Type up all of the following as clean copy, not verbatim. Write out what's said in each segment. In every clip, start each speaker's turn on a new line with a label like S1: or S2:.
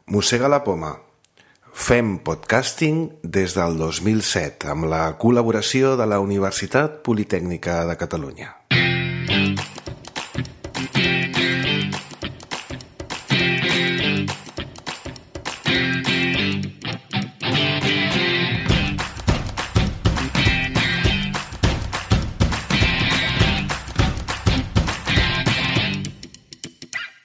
S1: Mossega la poma. Fem podcasting des del 2007 amb la col·laboració de la Universitat Politècnica de Catalunya.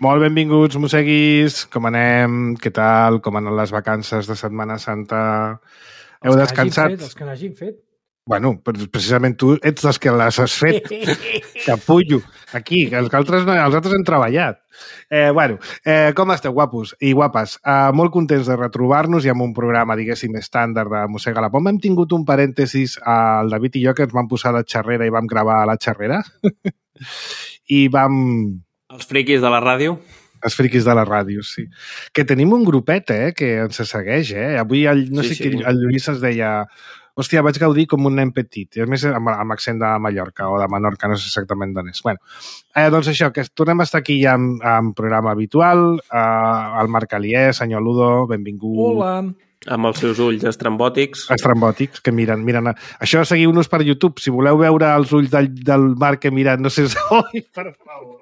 S2: Molt benvinguts, mosseguis. Com anem? Què tal? Com anen les vacances de Setmana Santa? Heu descansat?
S3: Els que n'hagin fet.
S2: Bueno, precisament tu ets dels que les has fet. Capullo. Aquí, els altres han treballat. Com esteu, guapos i guapes? Molt contents de retrobar-nos i amb un programa, diguéssim, estàndard de Mossega la Poma. Hem tingut un parèntesis, el David i jo, que ens vam posar a la xarrera i vam gravar a la xarrera. I vam...
S4: Els friquis de la ràdio.
S2: Els friquis de la ràdio, sí. Que tenim un grupet, que ens segueix, Avui, el Lluís ens deia... Hòstia, vaig gaudir com un nen petit. I a més, amb accent de Mallorca o de Menorca, no sé exactament d'on és. Bueno, doncs això, que tornem a estar aquí ja amb programa habitual. El Marc Alier, senyor Ludo, benvingut.
S3: Hola.
S4: Amb els seus ulls estrambòtics.
S2: Estrambòtics, que miren. Això, seguiu-nos per YouTube. Si voleu veure els ulls del Marc que miren, no sé... Oi, per favor.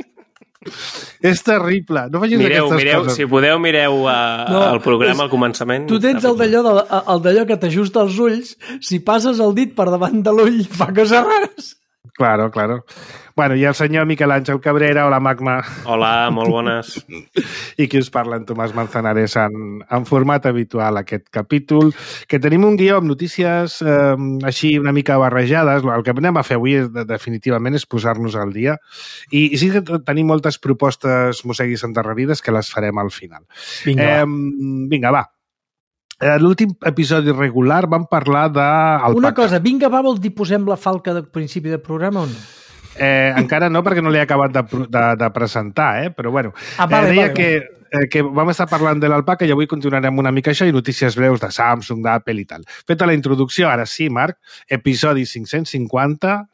S2: És terrible. No facis aquestes coses.
S4: Si podeu, mireu el programa al començament.
S3: Tu tens el d'allò que t'ajusta els ulls. Si passes el dit per davant de l'ull, fa coses rares.
S2: Claro. Bueno, i el senyor Miquel Àngel Cabrera, hola Magma.
S4: Hola, molt bones.
S2: I qui us parla, en Tomàs Manzanares, en format habitual aquest capítol, que tenim un guió amb notícies així una mica barrejades. El que anem a fer avui definitivament és posar-nos al dia. I sí que tenim moltes propostes mosseguis endarrerides que les farem al final. Vinga, va. L'últim episodi regular vam parlar d'alpaca.
S3: Una cosa, vinga, va, vol dir posem la falca de principi de programa o no?
S2: Encara no, perquè no l'he acabat de presentar, però bueno.
S3: Vale.
S2: Que vam estar parlant de l'alpaca i avui continuarem una mica això i notícies breus de Samsung, d'Apple i tal. Feta la introducció, ara sí, Marc, episodi 550,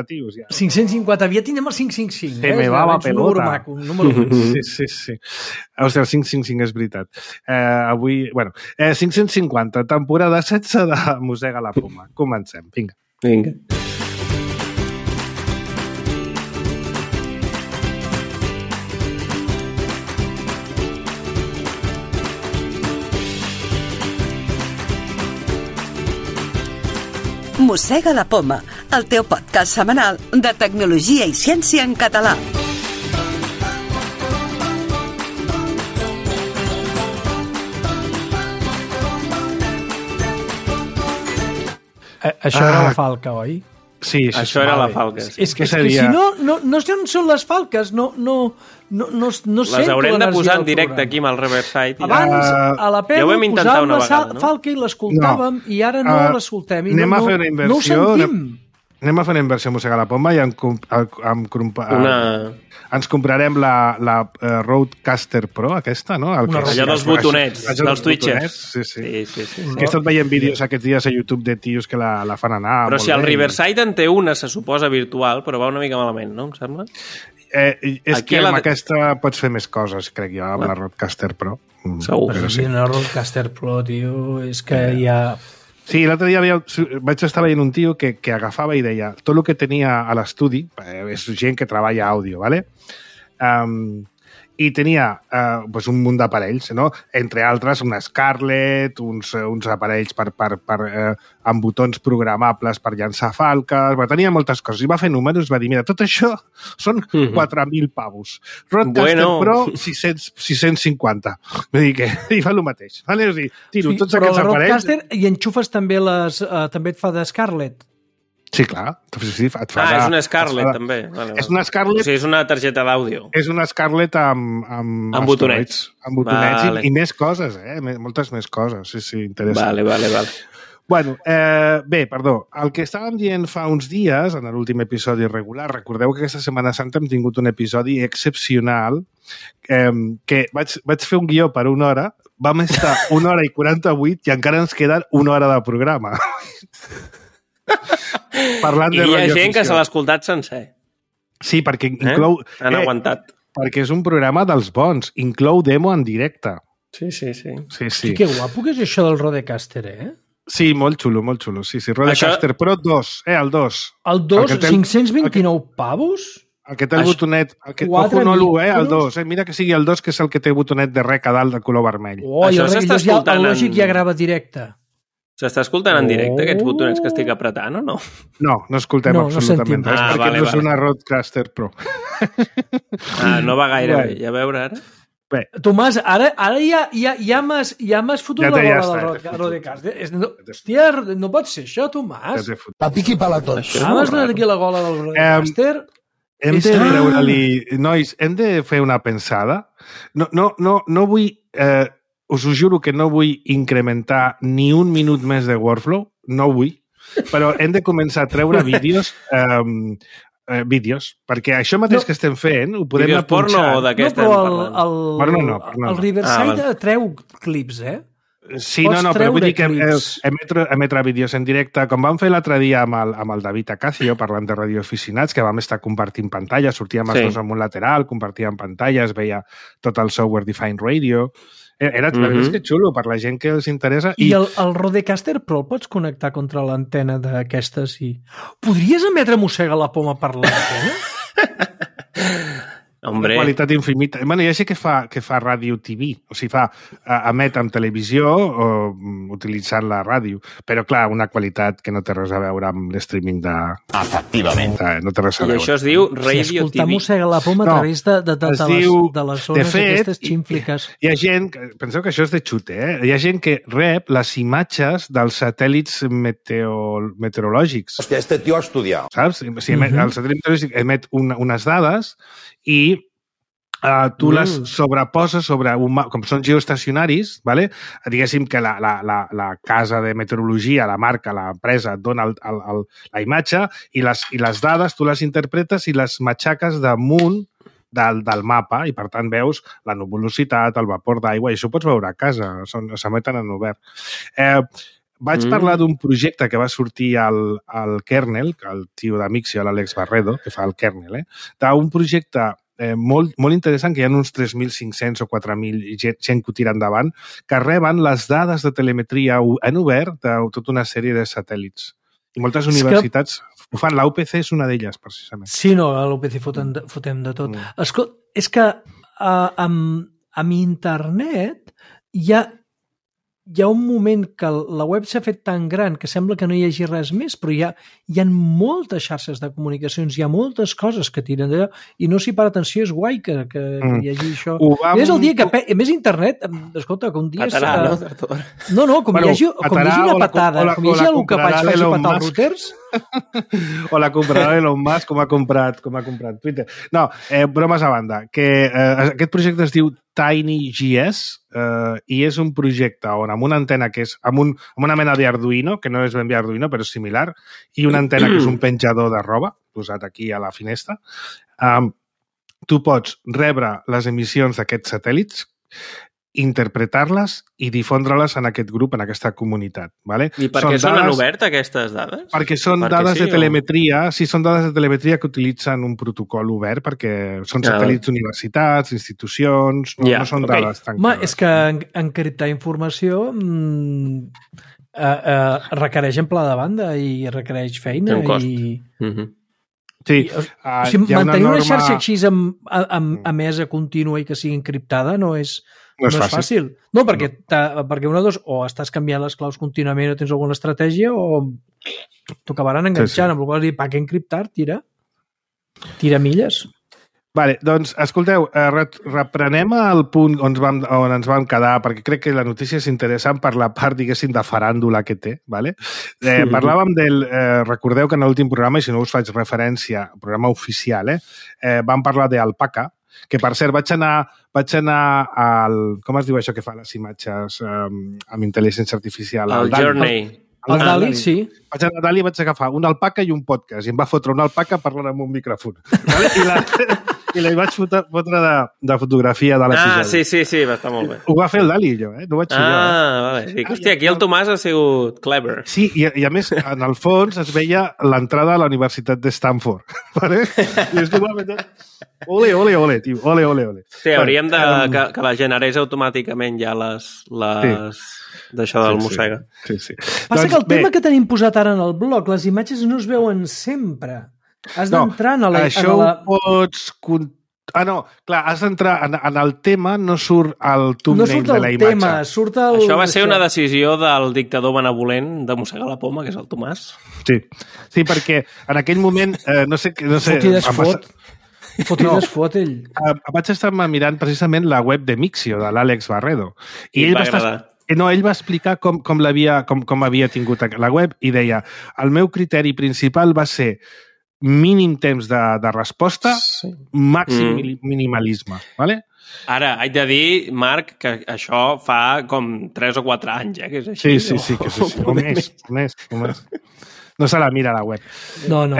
S2: tios, ja.
S3: 550, ja tindrem el 555.
S2: Se me va la pelota.
S3: Un número maco.
S2: Sí. Hòstia, el 555 és veritat. Avui, 550, temporada 16 de Mossega la Poma. Comencem, vinga.
S5: Mossega la Poma, el teu podcast setmanal de tecnologia i ciència en català.
S3: Això era la falca, oi?
S2: Sí,
S4: això era la falca.
S3: És que si no sé on són les falques, no sé.
S4: Les haurem de posar en directe aquí amb el Riverside.
S3: Abans, a la pèl, posàvem la falca i l'escoltàvem i ara no l'escoltem.
S2: Anem a fer una inversió. Anem a fer una inversió a Mossega la Poma i ens comprarem la Rodecaster Pro, aquesta, no?
S4: Allò dels botonets, dels twitchers.
S2: Sí. Que he estat veient vídeos aquests dies a YouTube de tios que la fan anar.
S4: Però si el Riverside en té una, se suposa virtual, però va una mica malament, no? Em sembla?
S2: És que amb aquesta pots fer més coses, crec jo, amb la Rodecaster Pro.
S4: Segur.
S3: Però sí, la Rodecaster Pro, tio, és que ja...
S2: Sí, l'altre dia vaig estar veient un tio que agafava i deia tot el que tenia a l'estudi, és gent que treballa àudio, ¿vale? I tenia un munt d'aparells, no? Entre altres, una Scarlett, uns aparells amb botons programables per llançar falques, tenia moltes coses. I va fer números, va dir, mira, tot això són 4.000 pavos. Rodecaster Pro, 650. Vull dir que hi fa el mateix. Vale? O sigui, tiro tots aquests aparells...
S3: Però la Rodecaster i enxufes també et fa de Scarlett.
S2: Sí, clar. Sí, et fa
S4: és una Scarlett, també. Vale.
S2: És una Scarlett...
S4: O sigui, és una targeta d'àudio.
S2: És una Scarlett amb
S4: botonets.
S2: Amb botonets i més coses, moltes més coses. Sí, interessant.
S4: Vale.
S2: Bueno, perdó. El que estàvem dient fa uns dies, en l'últim episodi regular, recordeu que aquesta Setmana Santa hem tingut un episodi excepcional que vaig fer un guió per 1 hora, vam estar 1 hora i 48 i encara ens queda 1 hora de programa. Parlant de
S4: I hi ha gent
S2: radioficció.
S4: que se l'ha escoltat sencer.
S2: Sí, perquè inclou...
S4: Han aguantat.
S2: Perquè és un programa dels bons. Inclou demo en directe.
S4: Sí.
S3: Hosti, que guapo que és això del Rodecaster,
S2: Sí, molt xulo. Sí, Rodecaster Pro 2, el 2.
S3: El 2, 529 pavos?
S2: El que té el botonet... Ojo, no l'1, el 2. Mira que sigui el 2, que és el que té botonet de rec a dalt de color vermell.
S4: Això s'està escoltant...
S3: El Lògic ja grava directe.
S4: S'està escoltant en directe, aquests botonets que estic apretant, o no?
S2: No escoltem absolutament res, perquè no és una Rodecaster Pro.
S4: No va gaire bé. A veure, ara...
S2: Bé.
S3: Tomàs, ara ja m'has fotut la bola del Rodecaster. Hòstia, no pot ser això, Tomàs.
S6: Pa piqui pa la tot.
S3: M'has donat aquí la gola del Rodecaster.
S2: Hem de treure-li... Nois, hem de fer una pensada. No vull... Us ho juro que no vull incrementar ni un minut més de workflow. No vull. Però hem de començar a treure vídeos... vídeos, perquè això mateix que estem fent ho podem
S4: vídeos
S2: apunxar.
S4: Porno o de què estem parlant?
S3: El Riverside treu clips,
S2: Sí, però vull dir que emetre vídeos en directe, com vam fer l'altre dia amb el David Acacio, parlant de radioaficionats, que vam estar compartint pantalla, sortíem els dos en un lateral, compartíem pantalla, es veia tot el software Defined Radio. Era que xulo per la gent que els interessa.
S3: I el Rodecaster Pro el pots connectar contra l'antena d'aquestes i... Podries emetre mossega la poma per l'antena?
S4: Hombre.
S2: Una qualitat infinita. Bueno, ja sé que fa ràdio TV, o sigui, emet amb televisió o utilitzant la ràdio, però clar, una qualitat que no té res a veure amb l'streaming de...
S6: Efectivament.
S2: No té res a veure.
S4: I això es diu Radio TV.
S3: Escoltar mossega la poma a través de les zones aquestes ximfliques.
S2: Hi ha gent, penseu que això és de xute, hi ha gent que rep les imatges dels satèl·lits meteorològics.
S6: Hòstia, este tio ha estudiat.
S2: Saps? El satèl·lit meteorològic emet unes dades i tu les sobreposes sobre com són geoestacionaris, ¿vale? Diguéssim que la casa de meteorologia, la marca, l'empresa, et dona la imatge i les dades tu les interpretes i les matxaques damunt del mapa i, per tant, veus la nuvolositat, el vapor d'aigua, i això ho pots veure a casa, s'emeten en obert. Vaig parlar d'un projecte que va sortir al Kernel, el tio d'Amixio, l'Àlex Barredo, que fa el Kernel, d'un projecte molt interessant, que hi ha uns 3.500 o 4.000 gent que ho tira endavant, que reben les dades de telemetria en obert de tota una sèrie de satèl·lits. I moltes universitats ho fan. La UPC és una d'elles, precisament.
S3: Sí, no, a l'UPC fotem de tot. Escolta, és que amb internet hi ha un moment que la web s'ha fet tan gran que sembla que no hi hagi res més, però hi ha moltes xarxes de comunicacions, hi ha moltes coses que tiren d'allò i no s'hi para atenció, és guai que hi hagi això. És el dia que... A més, internet, escolta, que un dia...
S4: Patarà,
S3: no? Com hi hagi una patada, com hi hagi algú que faci patar els routers...
S2: O la comprarà Elon Musk, com ha comprat Twitter. No, bromes a banda, que aquest projecte es diu TinyGS i és un projecte on amb una antena que és amb una mena d'Arduino, que no és ben bé Arduino, però és similar, i una antena que és un penjador de roba, posat aquí a la finestra, tu pots rebre les emissions d'aquests satèl·lits, interpretar-les i difondre-les en aquest grup, en aquesta comunitat. ¿Vale?
S4: I per què són en obert, aquestes dades?
S2: Perquè són dades de telemetria, són dades de telemetria que utilitzen un protocol obert, perquè són satèl·lits d'universitats, institucions, no són dades tancades.
S3: Home, és que encriptar informació requereix en pla de banda i requereix feina.
S4: Té un cost.
S2: Sí,
S3: mantenir una xarxa així emesa contínua i que sigui encriptada no és fàcil. No, perquè una de dos, o estàs canviant les claus contínuament o tens alguna estratègia, o t'ho acabaran enganxant, amb la qual cosa, per què encriptar? Tira milles.
S2: Vale, doncs, escolteu, reprenem el punt on ens vam quedar, perquè crec que la notícia és interessant per la part, diguéssim, de faràndula que té. Vale? Parlàvem recordeu que en l'últim programa, i si no us faig referència, programa oficial, vam parlar d'Alpaca, que per cert vaig anar al... Com es diu això que fa les imatges amb intel·ligència artificial?
S4: El Journey.
S3: El DALL-E, sí.
S2: Vaig anar a DALL-E i vaig agafar una alpaca i un podcast, i em va fotre una alpaca parlant amb un micròfon. Vale? I li vaig fotre de fotografia de l'episodi.
S4: Sí, va estar molt bé.
S2: Ho va fer el Dali, jo, no ho vaig fer jo.
S4: Vale. Dic, hòstia, aquí el Tomàs ha sigut clever.
S2: Sí, i a més, en el fons es veia l'entrada a la Universitat de Stanford. Vale? I és que va fer... Ole, tio, ole.
S4: Sí, hauríem que la generés automàticament ja les d'això del mossega.
S2: Sí.
S3: Passa que el tema que tenim posat ara en el blog, les imatges no es veuen sempre. Has d'entrar en la...
S2: Això ho pots... no, clar, has d'entrar en el tema, no surt el thumbnail de la imatge.
S3: Tema, surt el...
S4: Això va ser una decisió del dictador benevolent de mossegar la poma, que és el Tomàs.
S2: Sí, perquè en aquell moment, no sé...
S3: Fotides fot ell.
S2: Vaig estar mirant precisament la web de Mixio, de l'Àlex Barredo. I ell va agradar. Ell va explicar com havia tingut la web i deia, el meu criteri principal va ser mínim temps de resposta, màxim minimalisme. Vale?
S4: Ara, haig de dir, Marc, que això fa com 3 o 4 anys, que és així.
S2: Sí, que és així. O més. No se la mira a la web.
S3: No, de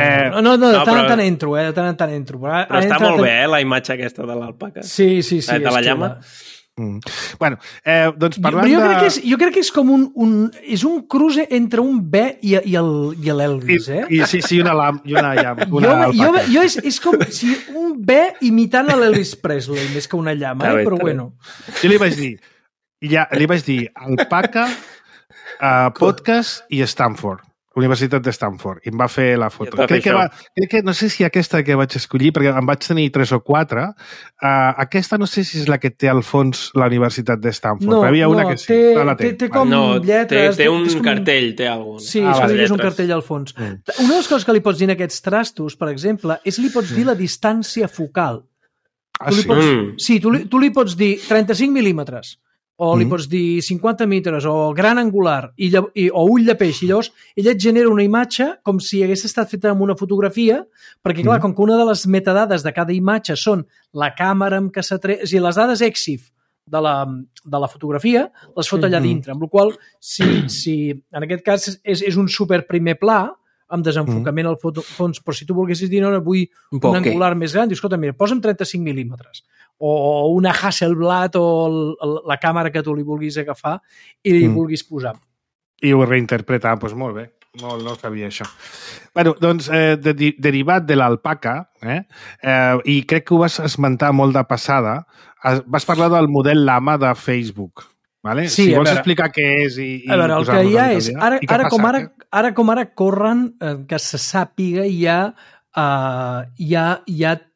S3: tant en tant entro.
S4: Però està molt bé, la imatge aquesta de l'alpaca.
S3: Sí.
S4: De la llama.
S2: Bueno, doncs parlant
S3: jo crec que és com és un cruce entre un bé i l'Elvis,
S2: Sí, una llama.
S3: És com si un bé imitant l'Elvis Presley, més que una llama, però bueno.
S2: Jo li vaig dir alpaca, podcast i Stanford. Universitat de Stanford, i em va fer la foto. Crec que no sé si aquesta que vaig escollir, perquè en vaig tenir 3 o 4, aquesta no sé si és la que té al fons la Universitat de Stanford, però hi havia una que sí.
S3: Té com lletres...
S4: Té un cartell, té alguna cosa.
S3: Sí, és un cartell al fons. Una de les coses que li pots dir en aquests trastos, per exemple, és li pots dir la distància focal. Sí, tu li pots dir 35 mil·límetres, o li pots dir 50 metres, o gran angular, o ull de peix, i llavors ella et genera una imatge com si hagués estat feta amb una fotografia, perquè clar, com que una de les metadades de cada imatge són la càmera amb què s'ha tret, és a dir, les dades EXIF de la fotografia, les fot allà dintre, amb la qual cosa, si en aquest cas és un super primer pla, amb desenfocament al fons, però si tu volguessis dir, no, vull un angular més gran, dius, escolta, mira, posa'm 35 mil·límetres, o una Hasselblad, o la càmera que tu li vulguis agafar i li vulguis posar.
S2: I ho reinterpretar, doncs molt bé. No sabia això. Bueno, doncs, derivat de l'alpaca, i crec que ho vas esmentar molt de passada, vas parlar del model Llama de Facebook. Vale?
S3: Sí,
S2: si vols explicar què és i
S3: a veure, el que hi ha és, ara com ara corren, que se sàpiga, hi ha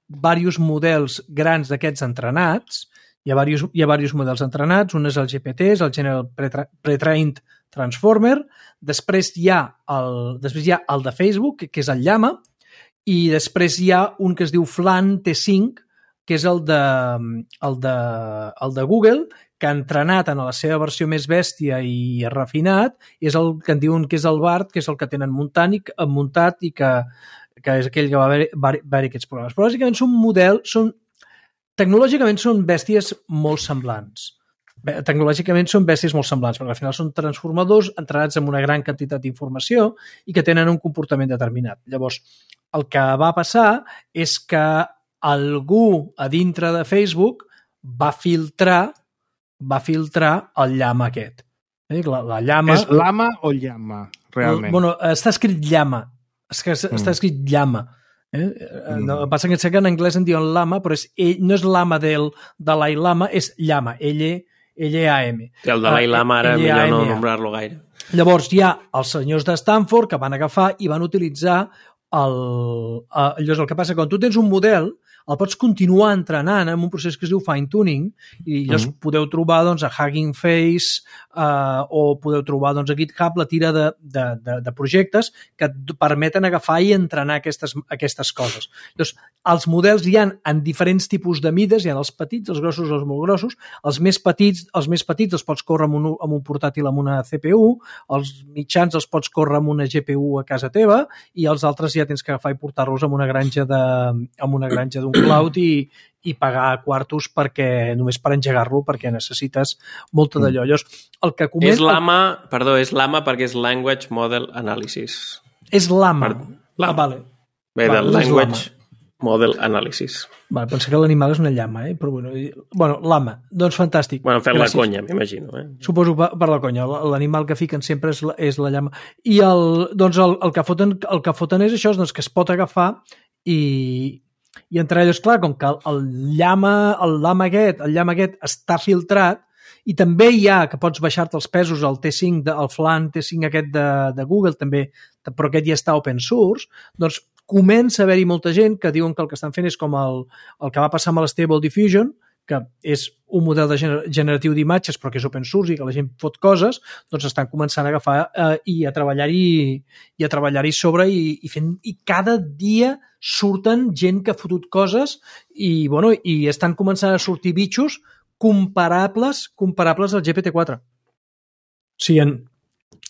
S3: diversos models grans d'aquests entrenats, hi ha diversos models entrenats, un és el GPT, és el General Pre-Trained Transformer, després hi ha el de Facebook, que és el Llama, i després hi ha un que es diu Flan T5, que és el de Google, que ha entrenat en la seva versió més bèstia i refinat, i és el que en diuen que és el BART, que és el que tenen muntat i que és aquell que va haver aquests programes. Però bàsicament tecnològicament són bèsties molt semblants. Perquè al final són transformadors entrenats amb una gran quantitat d'informació i que tenen un comportament determinat. Llavors, el que va passar és que algú a dintre de Facebook va filtrar el llama aquest. La llama...
S2: És llama o llama, realment?
S3: Bueno, està escrit llama. Està escrit llama. No, passa que sé que en anglès en diuen lama, però no és lama del Dalai Lama, és llama, L-A-M.
S4: El Dalai Lama ara millor no nombrar-lo gaire.
S3: Llavors hi ha els senyors de Stanford que van agafar i van utilitzar llavors el que passa, quan tu tens un model, el pots continuar entrenant en un procés que es diu fine-tuning i llavors podeu trobar a Hugging Face o podeu trobar a GitHub la tira de projectes que et permeten agafar i entrenar aquestes coses. Llavors, els models hi ha en diferents tipus de mides, hi ha els petits, els grossos, els molt grossos. Els més petits els pots córrer amb un portàtil amb una CPU, els mitjans els pots córrer amb una GPU a casa teva i els altres ja tens que agafar i portar-los amb una granja d'un cloud i pagar quartos només per engegar-lo perquè necessites molta d'allò. El que
S4: és LAMA perquè és Language Model Analysis.
S3: És LAMA.
S4: Vale. Ve del
S3: Language
S4: Model Analysis.
S3: Vale, pensé que l'animal és una llama, però bueno, lama, doncs fantàstic.
S4: Bueno, fent la conya, m'imagino.
S3: Suposo per la conya, l'animal que fiquen sempre és la llama. I el que foten és això, doncs, que es pot agafar i entre ells, clar, com que el llama aquest està filtrat, i també hi ha que pots baixar-te els pesos, el T5, el Flan T5 aquest de Google també, però aquest ja està open source, doncs comença a haver-hi molta gent que diuen que el que estan fent és com el que va passar amb l'Stable Diffusion, que és un model de generatiu d'imatges però que és open source i que la gent fot coses, doncs estan començant a agafar i a treballar-hi sobre i cada dia surten gent que ha fotut coses i estan començant a sortir bitxos comparables al GPT-4. O sigui,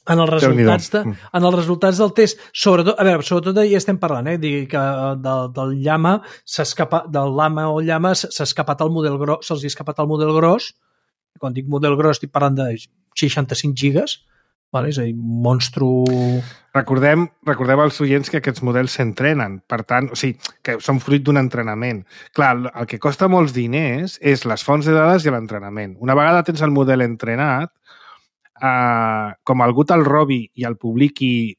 S3: en els resultats del test, sobretot ja estem parlant, que del llama o llama s'ha escapat el model gros, se'ls ha escapat el model gros. Quan dic model gros estic parlant de 65 gigas, vale? És a dir, un monstru...
S2: Recordem als oients que aquests models s'entrenen, per tant, o sigui, que són fruit d'un entrenament. Clar, el que costa molts diners és les fonts de dades i l'entrenament. Una vegada tens el model entrenat, com algú te'l robi i el publiqui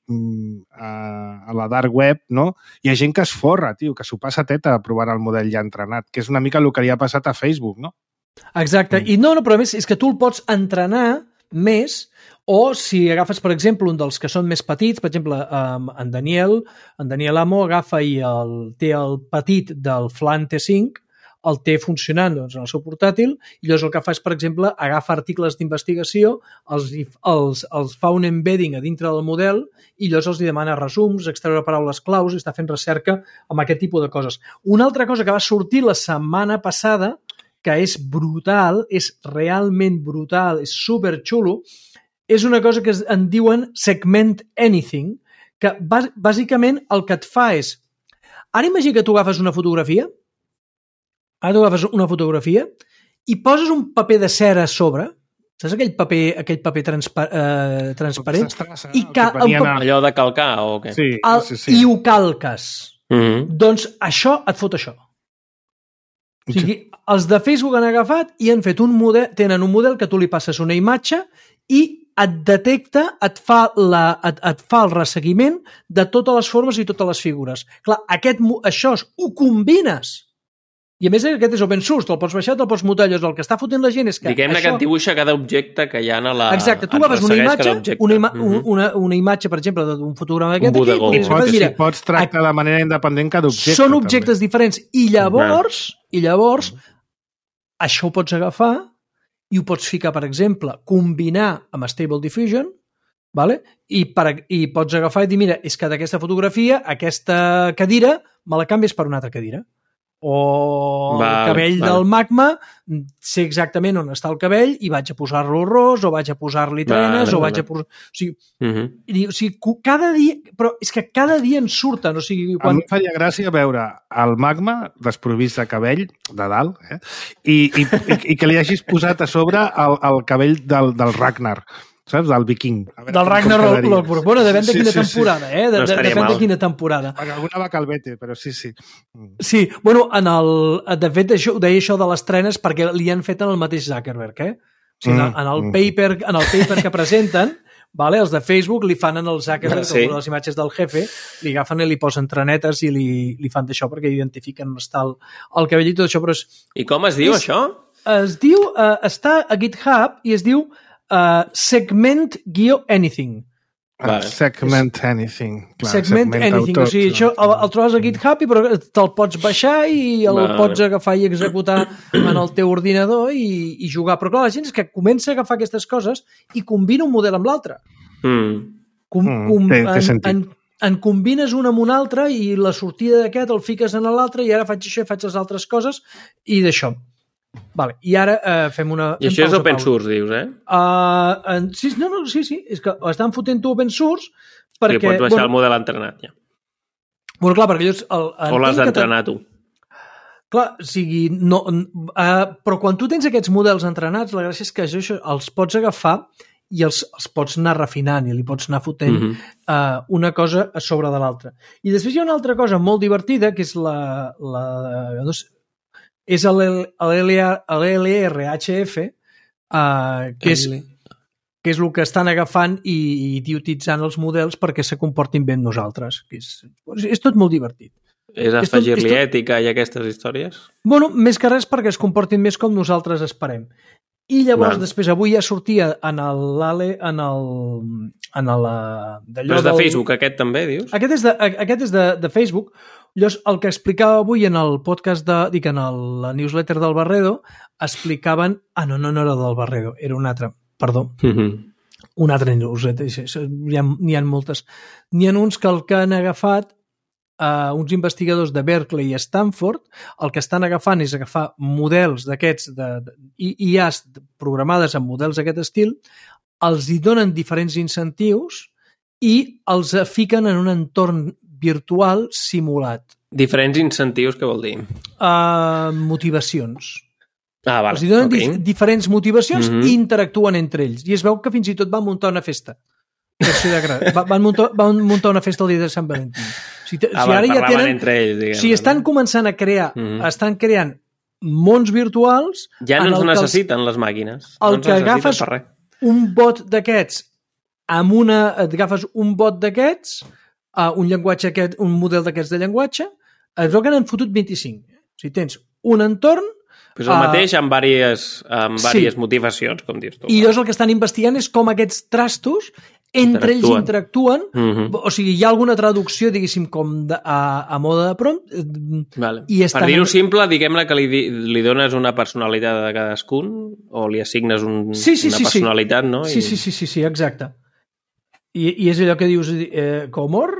S2: a la dark web, no? Hi ha gent que es forra, tio, que s'ho passa teta provant el model ja entrenat, que és una mica el que li ha passat a Facebook, no?
S3: Exacte, i però a més és que tu el pots entrenar més, o si agafes, per exemple, un dels que són més petits, per exemple, en Daniel Amo agafa i té el petit del Flan T5, el té funcionant en el seu portàtil, i llavors el que fa és, per exemple, agafa articles d'investigació, els fa un embedding a dintre del model i llavors els demana resums, extreure paraules claus i està fent recerca amb aquest tipus de coses. Una altra cosa que va sortir la setmana passada, que és brutal, és realment brutal, és superxulo, és una cosa que en diuen Segment Anything, que bàsicament el que et fa és... Ara imagina que tu agafes una fotografia, i poses un paper de cera a sobre, saps aquell paper transparent?
S4: Allò de calcar o què?
S2: Sí.
S3: I ho calques. Doncs això et fot això. O sigui, els de Facebook han agafat i han fet tenen un model que tu li passes una imatge i et detecta, et fa el resseguiment de totes les formes i totes les figures. Clar, això ho combines. I a més aquest és open source, te'l pots baixar, te'l pots mutar, el que està fotent la gent és que
S4: diguem-ne que et dibuixa cada objecte que hi ha a la...
S3: Exacte, tu agafes una imatge, per exemple, d'un fotograma d'aquest...
S2: Un bodegó. Pots tractar de manera independent cada objecte.
S3: Són objectes diferents. I llavors, això ho pots agafar i ho pots ficar, per exemple, combinar amb Stable Diffusion, vale? I pots agafar i dir, mira, és que d'aquesta fotografia, aquesta cadira, me la canvies per una altra cadira. O el cabell del magma, sé exactament on està el cabell i vaig a posar-lo ros, o vaig a posar-li trenes, o vaig a posar... O sigui, cada dia... Però és que cada dia en surten, o sigui...
S2: A mi faria gràcia veure el magma desprovist de cabell, de dalt, i que li hagis posat a sobre el cabell del Ragnar, saps? Del viking.
S3: Del Ragnar Lothbrok. Bueno, depèn de quina temporada, Depèn de quina temporada.
S2: Perquè alguna va calvete, però sí.
S3: Sí, bueno, de fet, ho deia això de les trenes perquè li han fet en el mateix Zuckerberg, O sigui, en el paper que presenten, vale, els de Facebook li fan en el Zuckerberg, les imatges del jefe, li agafen i li posen trenetes i li fan d'això perquè identifiquen on està el cabell i tot això, però
S4: I com es diu, això?
S3: Es diu, està a GitHub i es diu Segment-Anything.
S2: Segment Anything. Clar,
S3: Segment Anything. O sigui, això el trobes a GitHub però te'l pots baixar i el pots agafar i executar en el teu ordinador i jugar. Però clar, la gent és que comença a agafar aquestes coses i combina un model amb l'altre. En combines un amb un altre i la sortida d'aquest el fiques en l'altre i ara faig això i faig les altres coses i d'això. Vale. I ara fem una...
S4: I això és open source, dius,
S3: Sí, és que estan fotent-ho open source perquè...
S4: I pots baixar el model entrenat, ja.
S3: Bueno, clar, perquè ells...
S4: O l'has d'entrenar tu.
S3: Clar, o sigui... però quan tu tens aquests models entrenats, la gràcia és que això els pots agafar i els pots anar refinant i li pots anar fotent una cosa a sobre de l'altra. I després hi ha una altra cosa molt divertida, que és l'LRHF, que és el que estan agafant i idiotitzant els models perquè se comportin bé amb nosaltres. És tot molt divertit.
S4: És afegir-li ètica i aquestes històries?
S3: Bueno, més que res perquè es comportin més com nosaltres esperem. I llavors, després, avui ja sortia en
S4: però és de Facebook, aquest també, dius?
S3: Aquest és de Facebook. Llavors, el que explicava avui en el podcast, en la newsletter del Barredo, explicaven... no era del Barredo, era un altre, perdó. Un altre newsletter, n'hi ha moltes. N'hi ha uns que el que han agafat uns investigadors de Berkeley i Stanford, el que estan agafant és agafar models d'aquests IAs programades amb models d'aquest estil, els hi donen diferents incentius i els fiquen en un entorn virtual simulat.
S4: Diferents incentius, què vol dir?
S3: Motivacions.
S4: Vale.
S3: Els hi donen diferents motivacions i interactuen entre ells. I es veu que fins i tot van muntar una festa. Van muntar una festa el dia de Sant Valentí. Ara ja tenen,
S4: entre ells,
S3: estan començant a crear, estan creant mons virtuals...
S4: Ja no ens necessiten les màquines.
S3: El que agafes un bot d'aquests, agafes un bot d'aquests, un llenguatge aquest, un model d'aquests de llenguatge, es veu que n'han fotut 25. O sigui, tens un entorn...
S4: Pues el mateix amb diverses motivacions, com dius tu.
S3: I llavors el que estan investigant és com aquests trastos entre ells interactuen, o sigui, hi ha alguna traducció, diguéssim, com a mode de prompt.
S4: Vale. Per dir-ho simple, diguem-ne que li dones una personalitat a cadascun o li assignes una personalitat, no?
S3: Sí, exacte. I és allò que dius, Comor?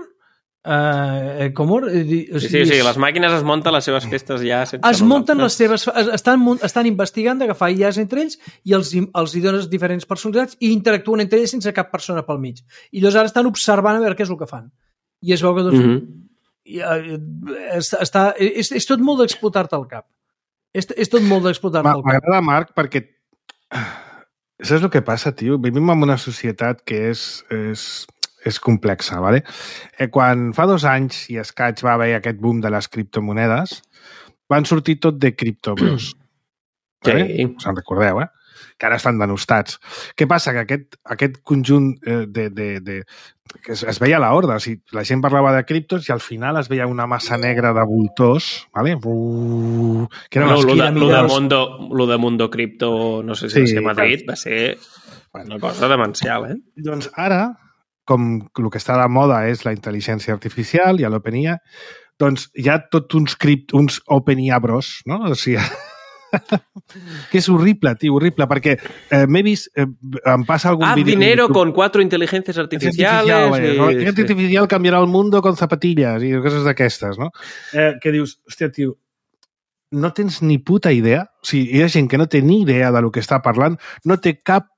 S4: Sí, les màquines es munten les seves festes ja sense...
S3: Es munten les seves... Estan investigant d'agafar IAs entre ells i els hi dones diferents personalitats i interactuen entre ells sense cap persona pel mig. I llavors ara estan observant a veure què és el que fan. I es veu que és tot molt d'explotar-te al cap. És tot molt d'explotar-te al cap.
S2: M'agrada, Marc, perquè saps el que passa, tio? Vivim en una societat que és complexa, ¿vale? Quan fa 2 anys i escaig va haver aquest boom de les criptomonedes, van sortir tot de criptobros.
S4: Sí.
S2: Us en recordeu, que ara estan denostats. Què passa? Que aquest conjunt que es veia a la horda, o sigui, la gent parlava de criptos i al final es veia una massa negra de voltors, ¿vale? Que eren
S4: lo de Mundo Cripto, no sé si va ser a Madrid, va ser una cosa demencial,
S2: Doncs ara, com el que està de moda és la intel·ligència artificial i l'OpenIA, doncs hi ha tots uns OpenIA bros, no? O sigui, que és horrible, tio, horrible, perquè m'he vist, em passa algun vídeo...
S4: dinero con 4 inteligencias artificiales...
S2: Inteligencia artificial cambiarà el mundo con zapatillas i coses d'aquestes, no? Que dius, hòstia, tio, no tens ni puta idea, o sigui, hi ha gent que no té ni idea de lo que està parlant, no té cap...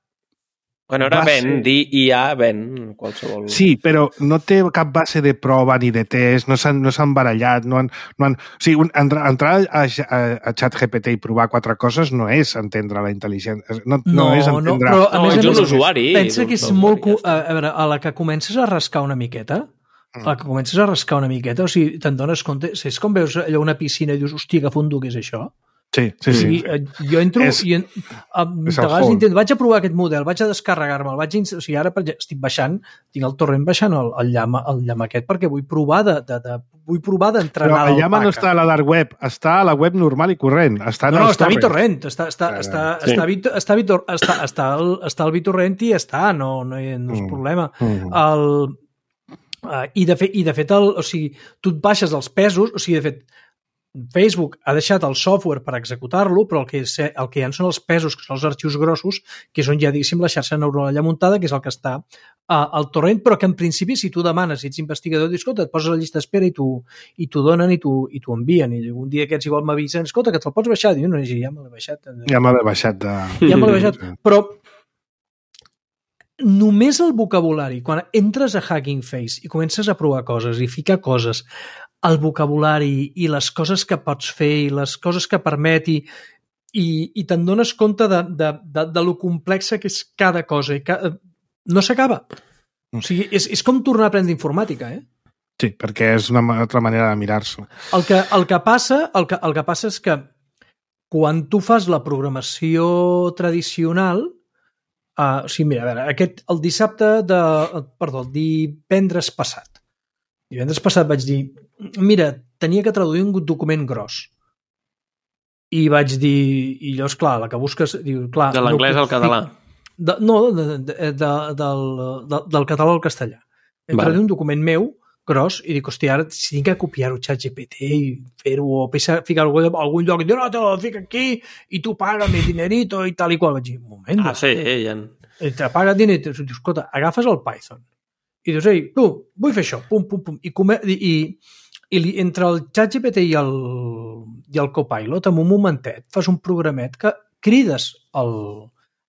S4: Bueno, ara IA ven qualsevol...
S2: Sí, però no té cap base de prova ni de test, no s'han barallat, no han... O sigui, entrar a ChatGPT i provar 4 coses no és entendre la intel·ligència. No és entendre...
S3: Però, a més,
S4: un usuari.
S3: Pensa que és molt... A veure, a la que comences a rascar una miqueta, o sigui, te'n dones compte... És com veus allò una piscina i dius, hòstia, que fondo, què és això?
S2: Sí.
S3: Jo entro vaig a provar aquest model, vaig a descarregar-me'l, o sigui, ara estic baixant, tinc el torrent baixant el llama aquest perquè vull provar d'entrenar
S2: l'alpaca. Però el llama no està a la dark web, està a la web normal i corrent. Està
S3: a BitTorrent, està al BitTorrent i està, no és problema. I de fet, o sigui, tu et baixes els pesos, o sigui, de fet, Facebook ha deixat el software per executar-lo, però el que hi ha són els pesos, que són els arxius grossos, que és on hi ha, diguéssim, la xarxa neuronal allà muntada, que és el que està al torrent, però que en principi, si tu demanes, si ets investigador, dius, escolta, et poses a la llista d'espera i t'ho donen i t'ho envien. I un dia aquests igual m'avisen, escolta, que te'l pots baixar? Diu, no, ja me l'he baixat.
S2: Ja me l'he baixat.
S3: Però només el vocabulari, quan entres a Hugging Face i comences a provar coses i ficar coses, el vocabulari i les coses que pots fer i les coses que permeti, i te'n dones compte de lo complexa que és cada cosa. No s'acaba. O sigui, és com tornar a aprendre informàtica,
S2: Sí, perquè és una altra manera de mirar-s'ho.
S3: El que passa és que quan tu fas la programació tradicional, o sigui, mira, a veure, el divendres passat. Divendres passat vaig dir, mira, tenia que traduir un document gros. I vaig dir, i llavors, clar, la que busques... Diu, clar,
S4: de l'anglès al català?
S3: Del català al castellà. He traduït un document meu gros i dic, hòstia, ara si tinc que copiar-ho ChatGPT i fer-ho o ficar-ho en algun lloc i dir, no, te lo fica aquí i tu paga'm el dinerito i tal i qual. Vaig dir, un moment.
S4: Sí, ja.
S3: Te paga el dinerito. Dius, escolta, agafes el Python i dius, ei, tu, vull fer això, pum, pum, pum. I entre el ChatGPT i el Copilot, en un momentet, fas un programet que crides el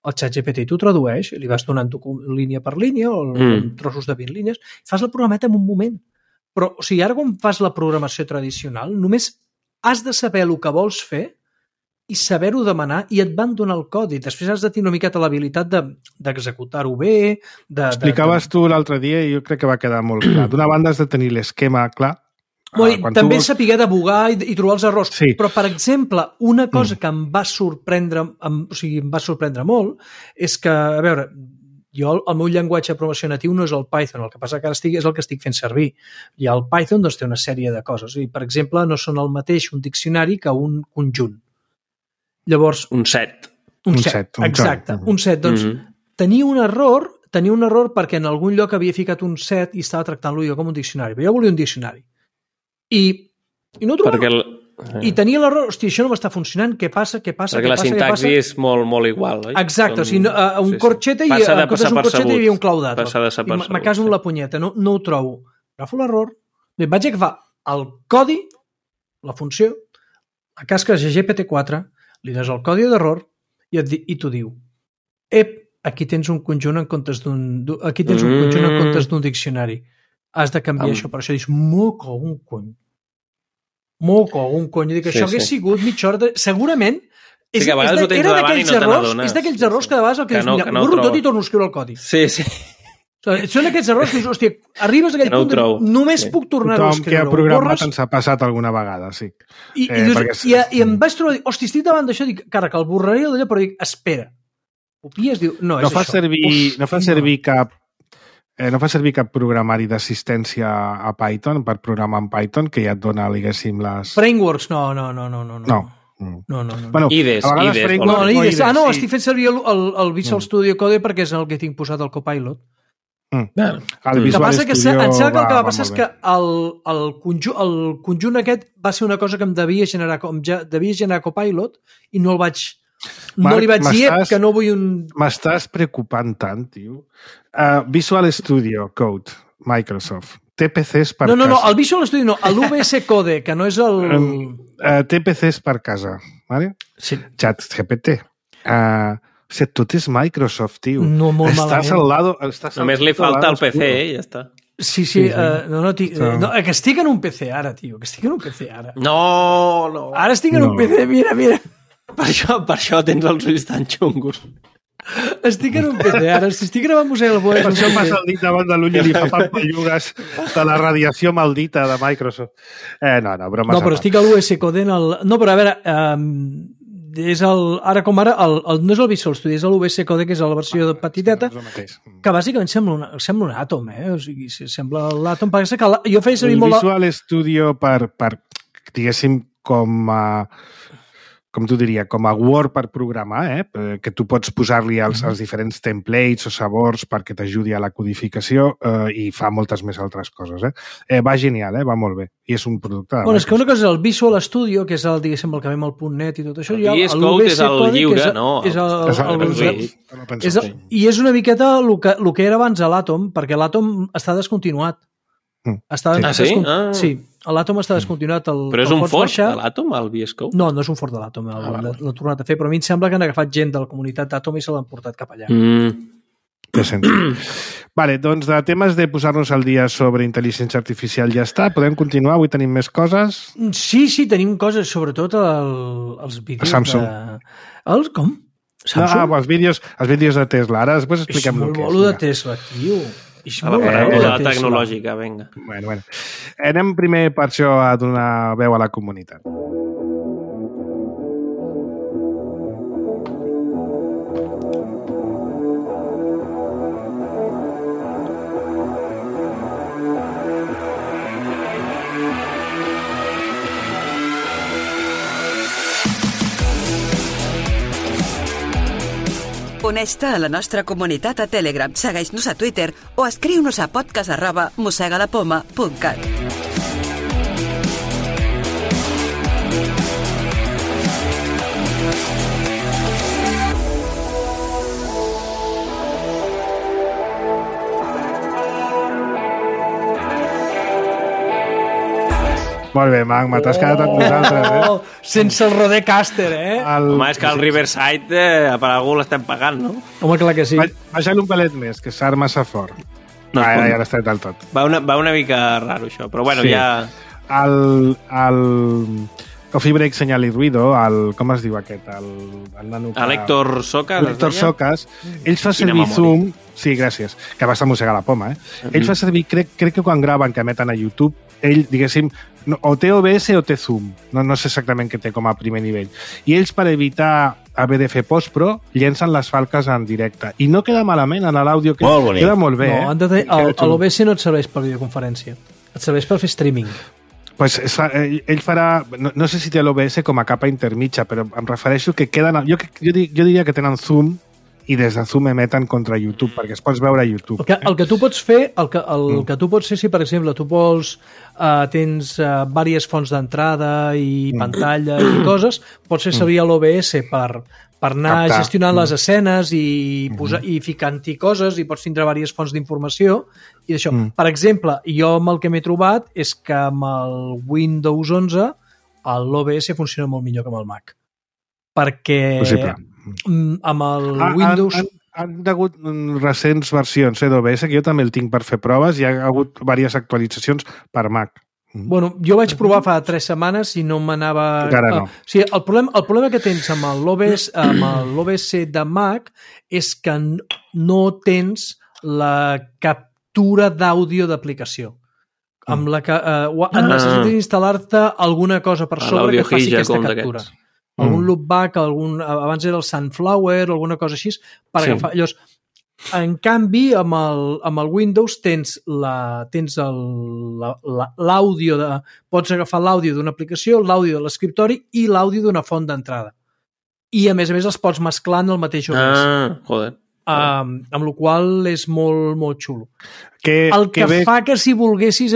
S3: ChatGPT i tu tradueix, li vas donant línia per línia o trossos de 20 línies, fas el programet en un moment. Però, o sigui, ara quan fas la programació tradicional, només has de saber el que vols fer i saber-ho demanar i et van donar el codi. Després has de tenir una miqueta l'habilitat d'executar-ho bé.
S2: Explicaves tu l'altre dia i jo crec que va quedar molt clar. D'una banda has de tenir l'esquema clar.
S3: També saber debugar i trobar els errors. Sí. Però, per exemple, una cosa que em va sorprendre molt és que, a veure, jo el meu llenguatge de programació natiu no és el Python, el que passa que ara és el que estic fent servir. I el Python doncs, té una sèrie de coses. I, per exemple, no són el mateix un diccionari que un conjunt. Llavors...
S4: Un set.
S3: Un set, exacte. Un set. Doncs tenia un error perquè en algun lloc havia ficat un set i estava tractant-lo jo com un diccionari. Però jo volia un diccionari. I no trobava... I tenia l'error, hòstia, això no m'està funcionant, què passa?
S4: Perquè la sintaxi és molt igual, oi?
S3: Exacte, o sigui, un corxeta i en comptes d'un corxeta hi havia un claudat. Me caso en la punyeta, no ho trobo. Agafo l'error, vaig agafar el codi, la funció, la casques GPT-4, li dones el codi d'error i t'ho diu. Aquí tens un conjunt en comptes d'un diccionari. Has de canviar això, per això dius, moco un cony. I dic, això hagués sigut mitja hora segurament era d'aquells errors que de vegades el que dius, mira, borro tot i torno a escriure el codi.
S4: Sí.
S3: Són aquests errors que dius, hòstia, arribes a aquell punt només puc tornar-ho a escriure.
S2: Tothom que ha programat ens ha passat alguna vegada, sí.
S3: I em vaig trobar, hòstia, estic davant d'això, dic, cara, que el borraré d'allò, però dic, espera. Copies, diu, no, és això.
S2: No fa servir cap programari d'assistència a Python per programar en Python que ja et dona, diguéssim, les...
S3: Frameworks, no.
S2: Bueno,
S4: IDES.
S3: Estic fent servir el Visual Studio Code perquè és el que tinc posat al Copilot.
S2: El Visual Studio
S3: em sembla que el que va passar és que el conjunt aquest va ser una cosa que em devia generar Copilot i no el vaig... No li vaig dir que no vull un...
S2: M'estàs preocupant tant, tio. Visual Studio Code, Microsoft. TPCs per casa.
S3: No, el Visual Studio no, l'UVS Code, que no és el...
S2: TPCs per casa, ¿vale?
S3: Sí.
S2: ChatGPT. Tot és Microsoft, tio.
S3: No, molt malament.
S4: Només li falta el PC, ja està.
S3: Sí. Que estic en un PC ara, tio.
S4: No.
S3: Ara estic en un PC, mira.
S4: Per això tens els ulls tan xungos.
S3: Estic en un PC ara, si estic gravant Museu del Boe...
S2: Per això passa el dit davant de l'ull i li fa pampallugues de la radiació maldita de Microsoft. No, bromes.
S3: No, però estic a l'US Code en el... No, però a veure, és el... Ara com ara, no és el Visual Studio, és l'US Code, que és la versió petiteta, que bàsicament sembla un Atom, O sigui, sembla l'Atom, perquè que jo feia servir molt...
S2: El Visual Studio per diguéssim, com t'ho diria, com a Word per programar, que tu pots posar-li els diferents templates o sabors perquè t'ajudi a la codificació i fa moltes més altres coses. Va genial, va molt bé. I és un producte...
S3: Bueno, és que una cosa és el Visual Studio, que és el, diguéssim, el que ve amb el .NET i tot això.
S4: El VS Code és el lliure, no?
S3: I és una miqueta el que era abans a l'Atom, perquè l'Atom està descontinuat. Sí, l'Atom està descontinuat.
S4: Però és un fort de l'Atom, el VS Code?
S3: No és un fort de l'Atom, l'ha tornat a fer, però a mi em sembla que han agafat gent de la comunitat d'Atom i se l'han portat cap allà.
S2: Té sentit. Vale, doncs de temes de posar-nos al dia sobre intel·ligència artificial ja està. Podem continuar? Avui tenim més coses?
S3: Sí, tenim coses, sobretot els vídeos
S2: Samsung.
S3: Com? Samsung?
S2: Els vídeos de Tesla. Ara després expliquem el que és.
S3: És molt bolo de Tesla, tio.
S4: A la paràbola tecnològica, vinga.
S2: Bueno. Anem primer per això a donar veu a la comunitat.
S5: Uneix-te a la nostra comunitat a Telegram, segueix-nos a Twitter o escriu-nos a podcast@mossegalapoma.cat.
S2: Molt bé, Marc, t'has quedat amb nosaltres,
S3: Sense el Rodecaster,
S4: Home, és que el Riverside per algú l'estem pagant, no?
S3: Home, clar que sí.
S2: Baixa-li un pelet més, que s'arma massa fort. No, ja l'has tret del tot.
S4: Va una mica raro, això, però bueno,
S2: sí.
S4: Ja...
S2: El Coffee Break Señal i Ruido, com es diu aquest? El nano que...
S4: L'Héctor Socas.
S2: L'Héctor Socas. Ell fa servir Zoom... Sí, gràcies. Que vas a mossegar la poma, Ell fa servir, crec que quan graven, que emeten a YouTube, ell, diguéssim, o té OBS o té Zoom. No sé exactament què té com a primer nivell. I ells, per evitar haver de fer postpro, llencen les falques en directe. I no queda malament en l'àudio.
S6: Molt bonic.
S2: Queda molt bé,
S3: No, l'OBS no et serveix per videoconferència. Et serveix per fer streaming.
S2: Pues ell farà... No sé si té l'OBS com a capa intermitja, però em refereixo que queden... Jo diria que tenen Zoom i des de Zoom emeten contra YouTube, perquè es pots veure a YouTube.
S3: El que tu pots fer, que tu pots fer, si per exemple tu vols, tens diverses fonts d'entrada i pantalla i coses, pots fer servir l'OBS per anar gestionant les escenes i ficant-hi coses, i pots tindre diverses fonts d'informació i d'això. Per exemple, jo amb el que m'he trobat és que amb el Windows 11 l'OBS funciona molt millor que amb el Mac. Perquè amb el Windows...
S2: Han hagut recents versions d'OBS, que jo també el tinc per fer proves, i ha hagut diverses actualitzacions per Mac.
S3: Bueno, jo vaig provar fa 3 setmanes i no m'anava...
S2: Encara no.
S3: O sigui, el problema que tens amb l'OBS de Mac és que no tens la captura d'àudio d'aplicació. Amb la que necessites instal·lar-te alguna cosa per sobre que faci aquesta captura. Algun loopback, abans era el Sunflower o alguna cosa així, per agafar... Llavors, en canvi, amb el Windows tens l'àudio pots agafar l'àudio d'una aplicació, l'àudio de l'escriptori i l'àudio d'una font d'entrada. I, a més els pots mesclar en el mateix OBS.
S4: Joder.
S3: Amb la qual és molt, molt xulo.
S2: Fa
S3: que si volguessis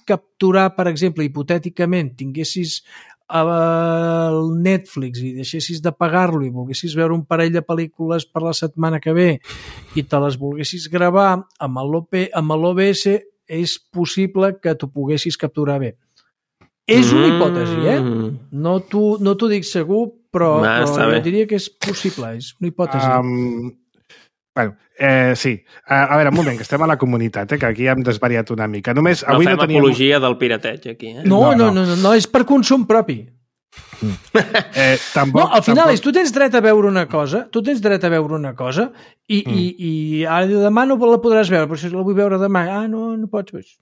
S3: capturar, per exemple, hipotèticament, tinguessis el Netflix i deixessis de pagar-lo i volguessis veure un parell de pel·lícules per la setmana que ve i te les volguessis gravar amb l'OBS, és possible que t'ho poguessis capturar bé. És una hipòtesi, No t'ho dic segur, però jo diria que és possible, és una hipòtesi.
S2: Sí. A veure, un moment, que estem a la comunitat, que aquí hem desvariat una mica. Només,
S4: avui no fem apologia del pirateig, aquí.
S3: No, és per consum propi. Al final tu tens dret a veure una cosa, i ara demà no la podràs veure, però si la vull veure demà, no pots veure.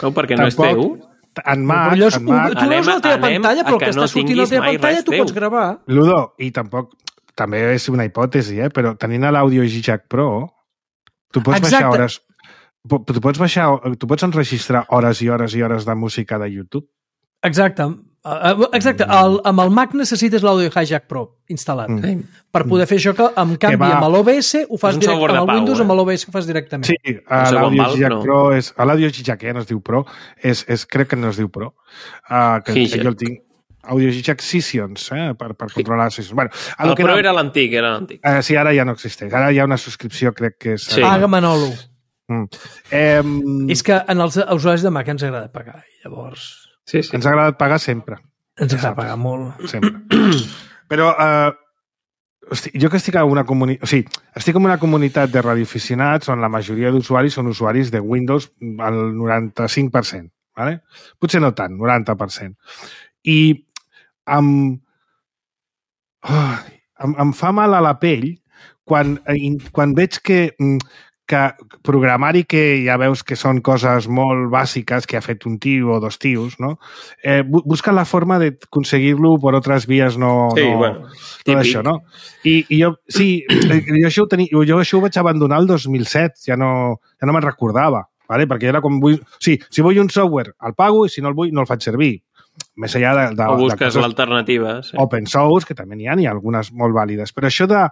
S4: No, perquè no és teu.
S2: En Mac...
S3: Tu veus la teva pantalla, però el que està sortint a la teva pantalla tu pots gravar.
S2: Ludo, i tampoc... També és una hipòtesi, però tenint l'Audio Jack Pro, tu pots baixar hores... Tu pots enregistrar hores i hores i hores de música de YouTube.
S3: Exacte. Amb el Mac necessites l'Audio Jack Pro instal·lat per poder fer això, que en canvi amb l'OBS ho fas directament, amb el Windows amb l'OBS ho fas directament.
S2: Sí, l'Audio Jack Pro és... L'Audio Jack ja no es diu Pro, crec que no es diu Pro, que jo el tinc. Audio Jack Sessions, per controlar les sessions. Bueno,
S4: el Pro era l'antic,
S2: sí, ara ja no existeix. Ara hi ha una subscripció, crec que és...
S3: Paga Manolo. És que en els usuaris de Mac ens agrada pagar, llavors...
S2: Sí. Ens ha agradat pagar sempre.
S3: Ens agrada pagar molt.
S2: Sempre. Però Hosti, jo que estic en una comunitat... O sigui, estic en una comunitat de radioaficionats on la majoria d'usuaris són usuaris de Windows al 95%, ¿vale? Potser no tant, 90%. I em fa mal a la pell quan veig que programari que ja veus que són coses molt bàsiques que ha fet un tio o dos tios, no? Busca la forma de conseguir-lo per altres vies no això, no? I jo, sí, jo això ho vaig abandonar el 2007, ja no me'n recordava, ¿vale? Perquè era com... Sí, si vull un software, el pago, i si no el vull, no el faig servir. Més allà de
S4: o busques l'alternativa. Sí.
S2: Open source, que també n'hi ha algunes molt vàlides. Però això de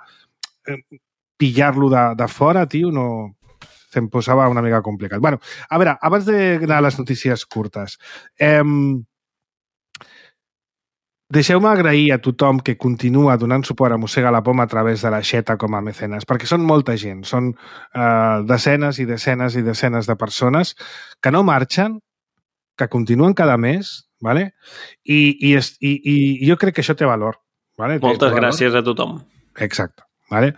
S2: pillar-lo de fora, tio, no... Se'm posava una mica complicat. Bueno, a veure, abans d'anar a les notícies curtes, deixeu-me agrair a tothom que continua donant suport a Mossega la Poma a través de la Xeta com a mecenes, perquè són molta gent, són desenes i desenes i desenes de persones que no marxen, que continuen cada mes, ¿vale? I jo crec que això té valor. ¿Vale?
S4: Moltes gràcies a tothom.
S2: Exacte. ¿Vale?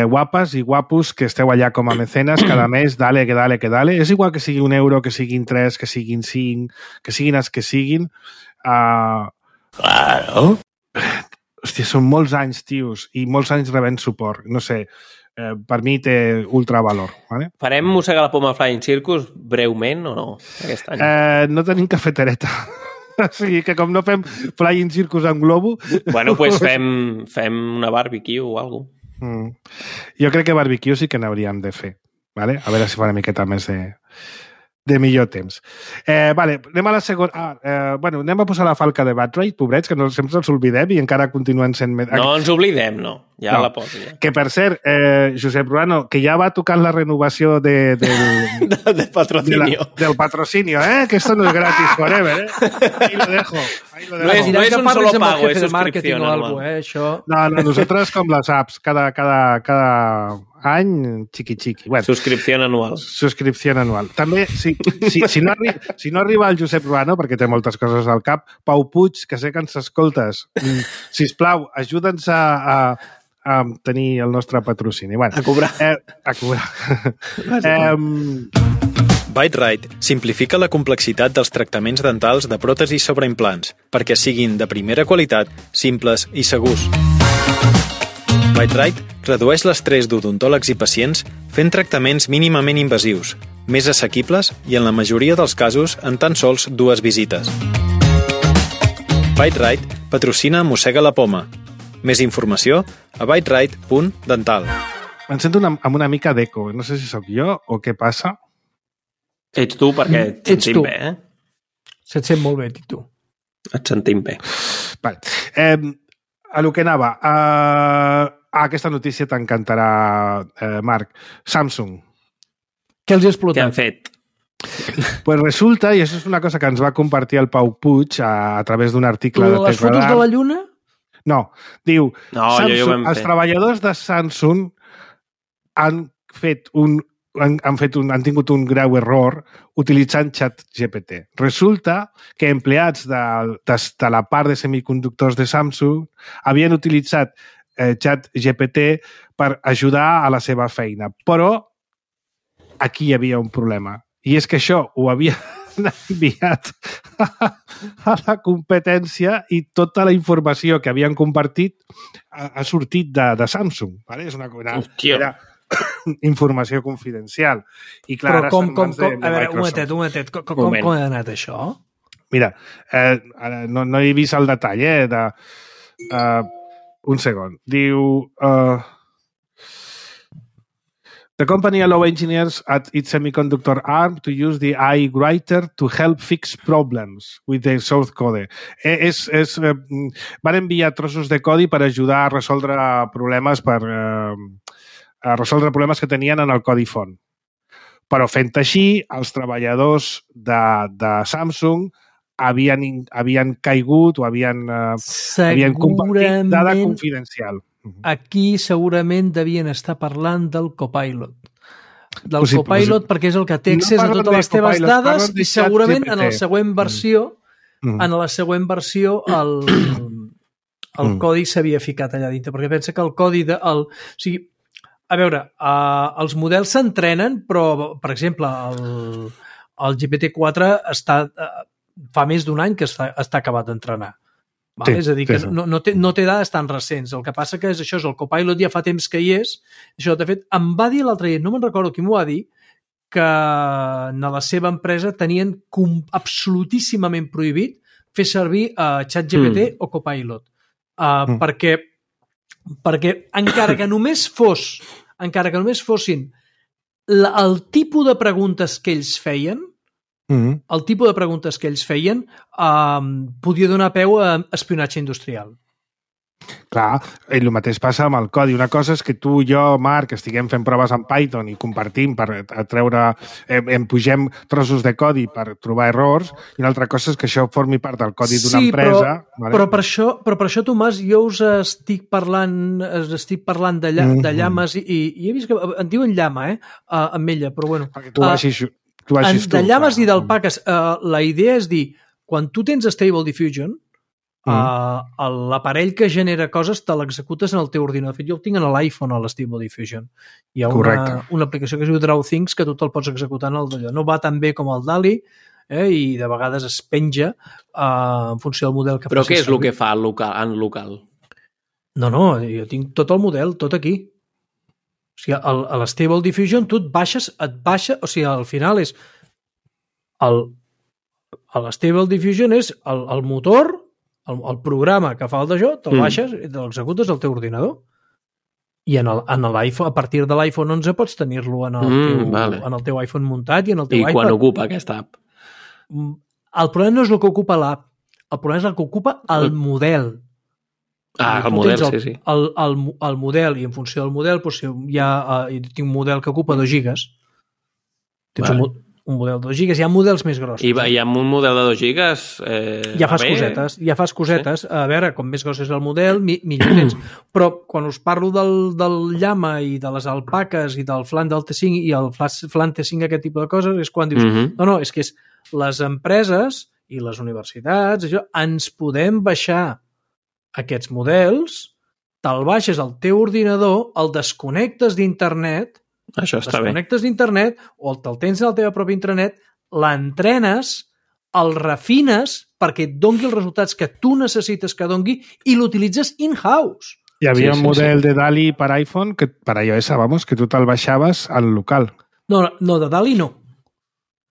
S2: Guapes i guapos que esteu allà com a mecenes cada mes, dale, que dale, que dale. És igual que sigui €1, que siguin 3, que siguin 5, que siguin els que siguin.
S6: Claro.
S2: Hòstia, són molts anys, tios, i molts anys rebent suport. No sé, per mi té ultravalor. ¿Vale?
S4: Farem Mossega la Poma Flying Circus breument o no? Aquest any?
S2: No tenim cafetereta. O sigui que com no fem Flying Circus amb globo...
S4: Bueno, doncs fem una barbecue o alguna cosa.
S2: Jo crec que barbecue sí que n'hauríem de fer. ¿Vale? A veure si fa una miqueta més de millor temps. Vale, anem a la segona... bueno, anem a posar la falca de Batrate, pobrets, que no, sempre ens oblidem i encara continuen sent...
S4: No ens oblidem, no. Ja la poso. Ja.
S2: Que, per cert, Josep Ruano, que ja va tocant la renovació del
S4: patrocinio.
S2: Del patrocinio, que esto no es gratis forever, Ahí lo dejo.
S4: No es un solo pago, es suscripción
S3: anual. Això...
S2: No, nosaltres com les apps, cada any, xiqui-xiqui. Bueno,
S4: suscripció anual.
S2: Suscripció anual. També, si no arriba el Josep Ruano, perquè té moltes coses al cap, Pau Puig, que sé que ens escoltes, sisplau, ajuda'ns a tenir el nostre patrocini. Bueno,
S4: a cobrar.
S2: A cobrar.
S7: Byte-Rite simplifica la complexitat dels tractaments dentals de pròtesis sobre implants perquè siguin de primera qualitat, simples i segurs. Byte-Rite redueix l'estrès d'odontòlegs i pacients fent tractaments mínimament invasius, més assequibles i, en la majoria dels casos, en tan sols 2 visites. Byte-Rite patrocina Mossega la Poma. Més informació a byterite.dental.
S2: Em sento amb una mica d'eco. No sé si sóc jo o què passa.
S4: Ets tu, perquè et sentim bé,
S3: Se't sent molt bé, tu.
S4: Et sentim bé.
S2: Vale. A lo que anava. Aquesta notícia t'encantarà, Marc. Samsung.
S3: Què els ha explotat?
S4: Què han fet?
S2: Pues resulta, i això és una cosa que ens va compartir el Pau Puig a través d'un article de
S3: les fotos de la Lluna?
S2: No, diu,
S4: Samsung,
S2: els treballadors de Samsung han tingut un greu error utilitzant ChatGPT. Resulta que empleats de la part de semiconductors de Samsung havien utilitzat ChatGPT per ajudar a la seva feina. Però aquí hi havia un problema. I és que això ho havia enviat a la competència i tota la informació que havien compartit ha sortit de Samsung. ¿Vale? És era informació confidencial. I clar,
S3: però a veure, un momentet, com ha anat això?
S2: Mira, no he vist el detall, un segon. Diu... The company allow engineers at its semiconductor arm to use the AI writer to help fix problems with the source code. Van enviar trossos de codi per ajudar a resoldre problemes que tenien en el codi font. Però fent així, els treballadors de Samsung havien caigut o havien compartit dada confidencial.
S3: Aquí segurament devien estar parlant del Copilot. Del Copilot perquè és el que té accés a totes les teves dades i segurament en la següent versió el codi s'havia ficat allà dintre, perquè pensa que el codi o sigui, a veure, els models s'entrenen, però, per exemple, el GPT-4 fa més d'1 any que està acabat d'entrenar. Vale? Sí, és a dir, que no té dades tan recents. El que passa que és això, el Copilot ja fa temps que hi és. Això, de fet, em va dir l'altre dia, no me'n recordo qui m'ho va dir, que a la seva empresa tenien absolutíssimament prohibit fer servir ChatGPT o Copilot. Perquè encara que només fossin el tipus de preguntes que ells feien, podia donar peu a espionatge industrial.
S2: Clar, el mateix passa amb el codi. Una cosa és que tu, jo, Marc, estiguem fent proves en Python i compartim per treure, pugem trossos de codi per trobar errors, i una altra cosa és que això formi part del codi d'una empresa.
S3: Vale? Però per això, Tomàs, jo us estic parlant de llames i he vist que en diuen llama, amb ella, però bueno.
S2: Perquè tu baixis
S3: de llames i d'alpaques. La idea és dir, quan tu tens Stable Diffusion, l'aparell que genera coses te l'executes en el teu ordinador. De fet, jo el tinc en l'iPhone, a l'Stable Diffusion. Hi ha una aplicació que es diu DrawThings que tu te'l pots executar en el d'allò. No va tan bé com el DALI, i de vegades es penja en funció del model que
S4: facis. Però què és el que fa en local?
S3: No, jo tinc tot el model, tot aquí. O sigui, a l'Stable Diffusion tu et baixa, o sigui, al final és l'Stable Diffusion és el motor, el programa que fa el d'això, te'l baixes i te l'executes al teu ordinador. I en l'iPhone, a partir de l'iPhone 11 pots tenir-lo en el teu iPhone muntat i en el teu iPad.
S4: I quan ocupa aquesta app?
S3: El problema no és el que ocupa l'app, el problema és el que ocupa el model.
S4: El model, sí.
S3: El model, i en funció del model, doncs, tinc un model que ocupa 2 gigas. Tens un model de 2 gigas, hi ha models més grossos.
S4: I amb un model de 2 gigas...
S3: Ja fas cosetes. A veure, com més gros és el model, millor tens. Però quan us parlo del llama i de les alpaques i del flan del T5 i el flan T5, aquest tipus de coses, és quan dius, no, és que les empreses i les universitats, ens podem baixar aquests models, te'l baixes al teu ordinador, el desconnectes d'internet, desconnectes d'internet o te'l tens a la teva pròpia intranet, l'entrenes, el refines perquè et doni els resultats que tu necessites que doni i l'utilitzes in-house.
S2: Hi havia un model de DALI per iPhone, que per iOS, que tu te'l baixaves al local.
S3: No, de DALI no.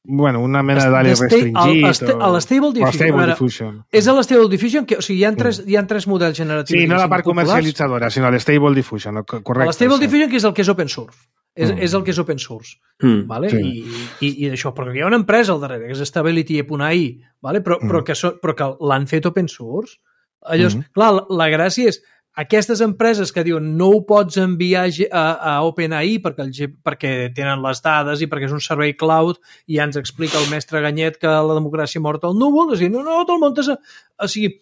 S2: Bueno, una mena de DALI restringit.
S3: L'Stable Diffusion. És l'Stable Diffusion, o sigui, hi ha 3 models generatius.
S2: Sí, no la part comercialitzadora, sinó l'Stable Diffusion, correcte.
S3: L'Stable Diffusion, que és el que és open source. És el que és open source. Vale? I d'això, però hi ha una empresa al darrere, que és Stability.ai, vale? però que l'han fet open source. Llavors, clar, la gràcia és aquestes empreses que diuen no ho pots enviar a OpenAI perquè tenen les dades i perquè és un servei cloud i ja ens explica el mestre Ganyet que la democràcia morta al núvol, és a dir, no te'l muntes... O sigui,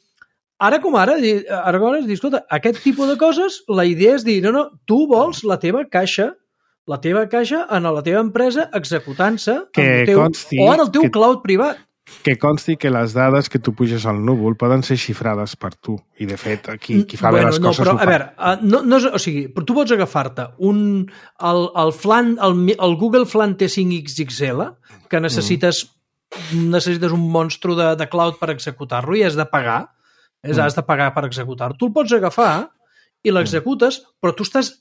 S3: ara com ara dius, escolta, aquest tipus de coses, la idea és dir, no, tu vols la teva caixa en la teva empresa executant-se o en el teu cloud privat.
S2: Que consti que les dades que tu puges al núvol poden ser xifrades per tu. I, de fet, qui fa bé les coses ho fa.
S3: A veure, o sigui, tu pots agafar-te el Google Flan T5 XXL, que necessites un monstru de cloud per executar-lo i has de pagar. Has de pagar per executar-lo. Tu el pots agafar i l'executes, però tu estàs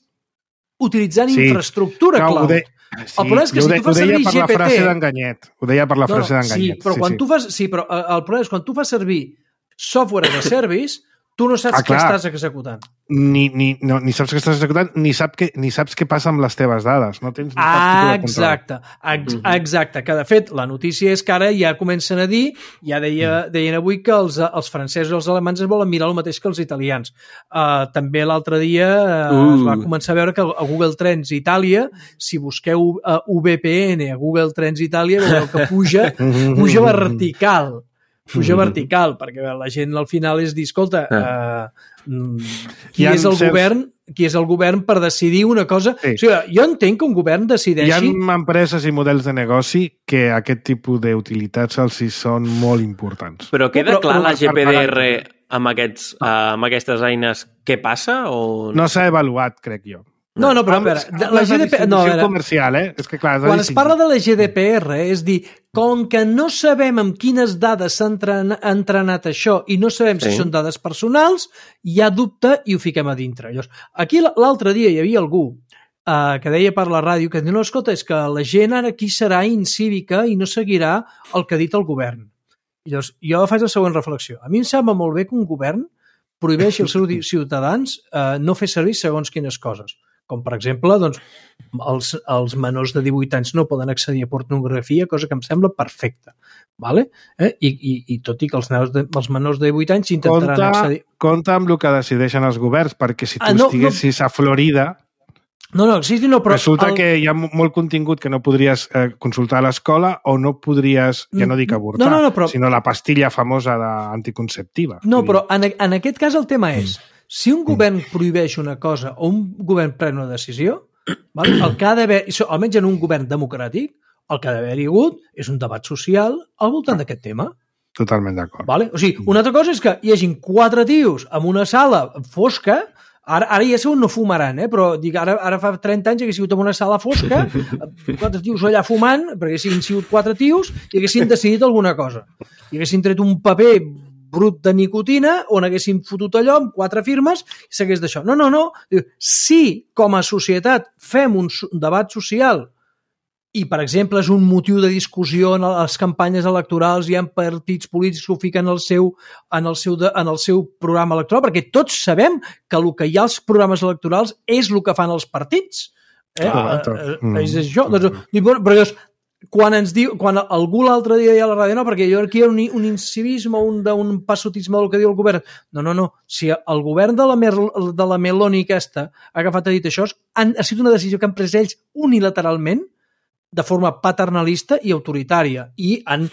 S3: utilitzant infraestructura cloud.
S2: El problema és que si tu fas servir GPT... Ho deia per la frase d'en Ganyet.
S3: Però el problema és quan tu fas servir software as a service, tu no saps què estàs executant.
S2: Ni saps què estàs executant, ni saps què passa amb les teves dades. No tens cap tipus de control.
S3: Exacte. Que, de fet, la notícia és que ara ja comencen a dir, ja deien avui que els francesos i els alemans es volen mirar el mateix que els italians. També l'altre dia es va començar a veure que a Google Trends Itàlia, si busqueu VPN a Google Trends Itàlia, veureu que puja vertical. Puja vertical, perquè la gent al final és dir, escolta, qui és el govern per decidir una cosa? Sí. O sigui, jo entenc que un govern decideixi...
S2: Hi ha empreses i models de negoci que aquest tipus d'utilitats els hi són molt importants.
S4: Però queda clar la GPDR amb aquestes eines què passa? O...
S2: No s'ha avaluat, crec jo.
S3: No, però a veure, la GDPR... No,
S2: comercial, És que, clar,
S3: quan es parla de la GDPR, és dir, com que no sabem amb quines dades s'ha entrenat això i no sabem si són dades personals, hi ha dubte i ho fiquem a dintre. Llavors, aquí l'altre dia hi havia algú que deia per la ràdio que diu, no, escolta, és que la gent ara aquí serà incívica i no seguirà el que ha dit el govern. I llavors, jo faig la següent reflexió. A mi em sembla molt bé que un govern prohibeixi als seus ciutadans no fer servir segons quines coses. Com, per exemple, doncs, els menors de 18 anys no poden accedir a pornografia, cosa que em sembla perfecta. Vale? I tot i que els menors de 18 anys intentaran accedir...
S2: Compte amb el que decideixen els governs, perquè si tu estiguessis a Florida...
S3: però...
S2: Resulta que hi ha molt contingut que no podries consultar a l'escola o no podries, ja no dic avortar, sinó la pastilla famosa anticonceptiva.
S3: No, però en aquest cas el tema és si un govern prohibeix una cosa o un govern pren una decisió, el que ha d'haver, almenys en un govern democràtic, el que ha d'haver-hi hagut és un debat social al voltant d'aquest tema.
S2: Totalment d'acord.
S3: O sigui, una altra cosa és que hi hagin 4 tios en una sala fosca. Ara ja segur no fumaran, però dic, ara fa 30 anys hagués sigut en una sala fosca, 4 tios allà fumant, perquè haguessin sigut 4 tios i haguessin decidit alguna cosa. I haguessin tret un paper brut de nicotina on haguessin fotut allò amb 4 firmes i s'hagués d'això. No. Si com a societat fem un debat social i, per exemple, és un motiu de discussió en les campanyes electorals, hi ha partits polítics que ho fiquen en el seu programa electoral, perquè tots sabem que el que hi ha als programes electorals és el que fan els partits. És això. Però quan algú l'altre dia deia a la ràdio, no, perquè jo aquí hi ha un incivisme, un passotisme del que diu el govern. No. Si el govern de la Meloni aquesta ha agafat i dit això, ha sigut una decisió que han pres ells unilateralment, de forma paternalista i autoritària, i han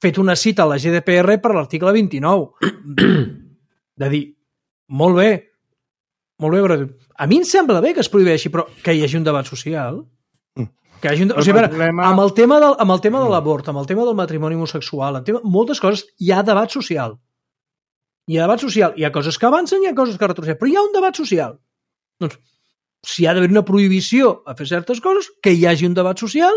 S3: fet una cita a la GDPR per l'article 29. De dir, molt bé, però a mi em sembla bé que es prohibeixi, però que hi hagi un debat social. Que hi hagi amb el tema de l'abort, amb el tema del matrimoni homosexual, moltes coses, hi ha debat social. Hi ha coses que avancen, hi ha coses que retroceden, però hi ha un debat social. Doncs, si hi ha d'haver una prohibició a fer certes coses, que hi hagi un debat social,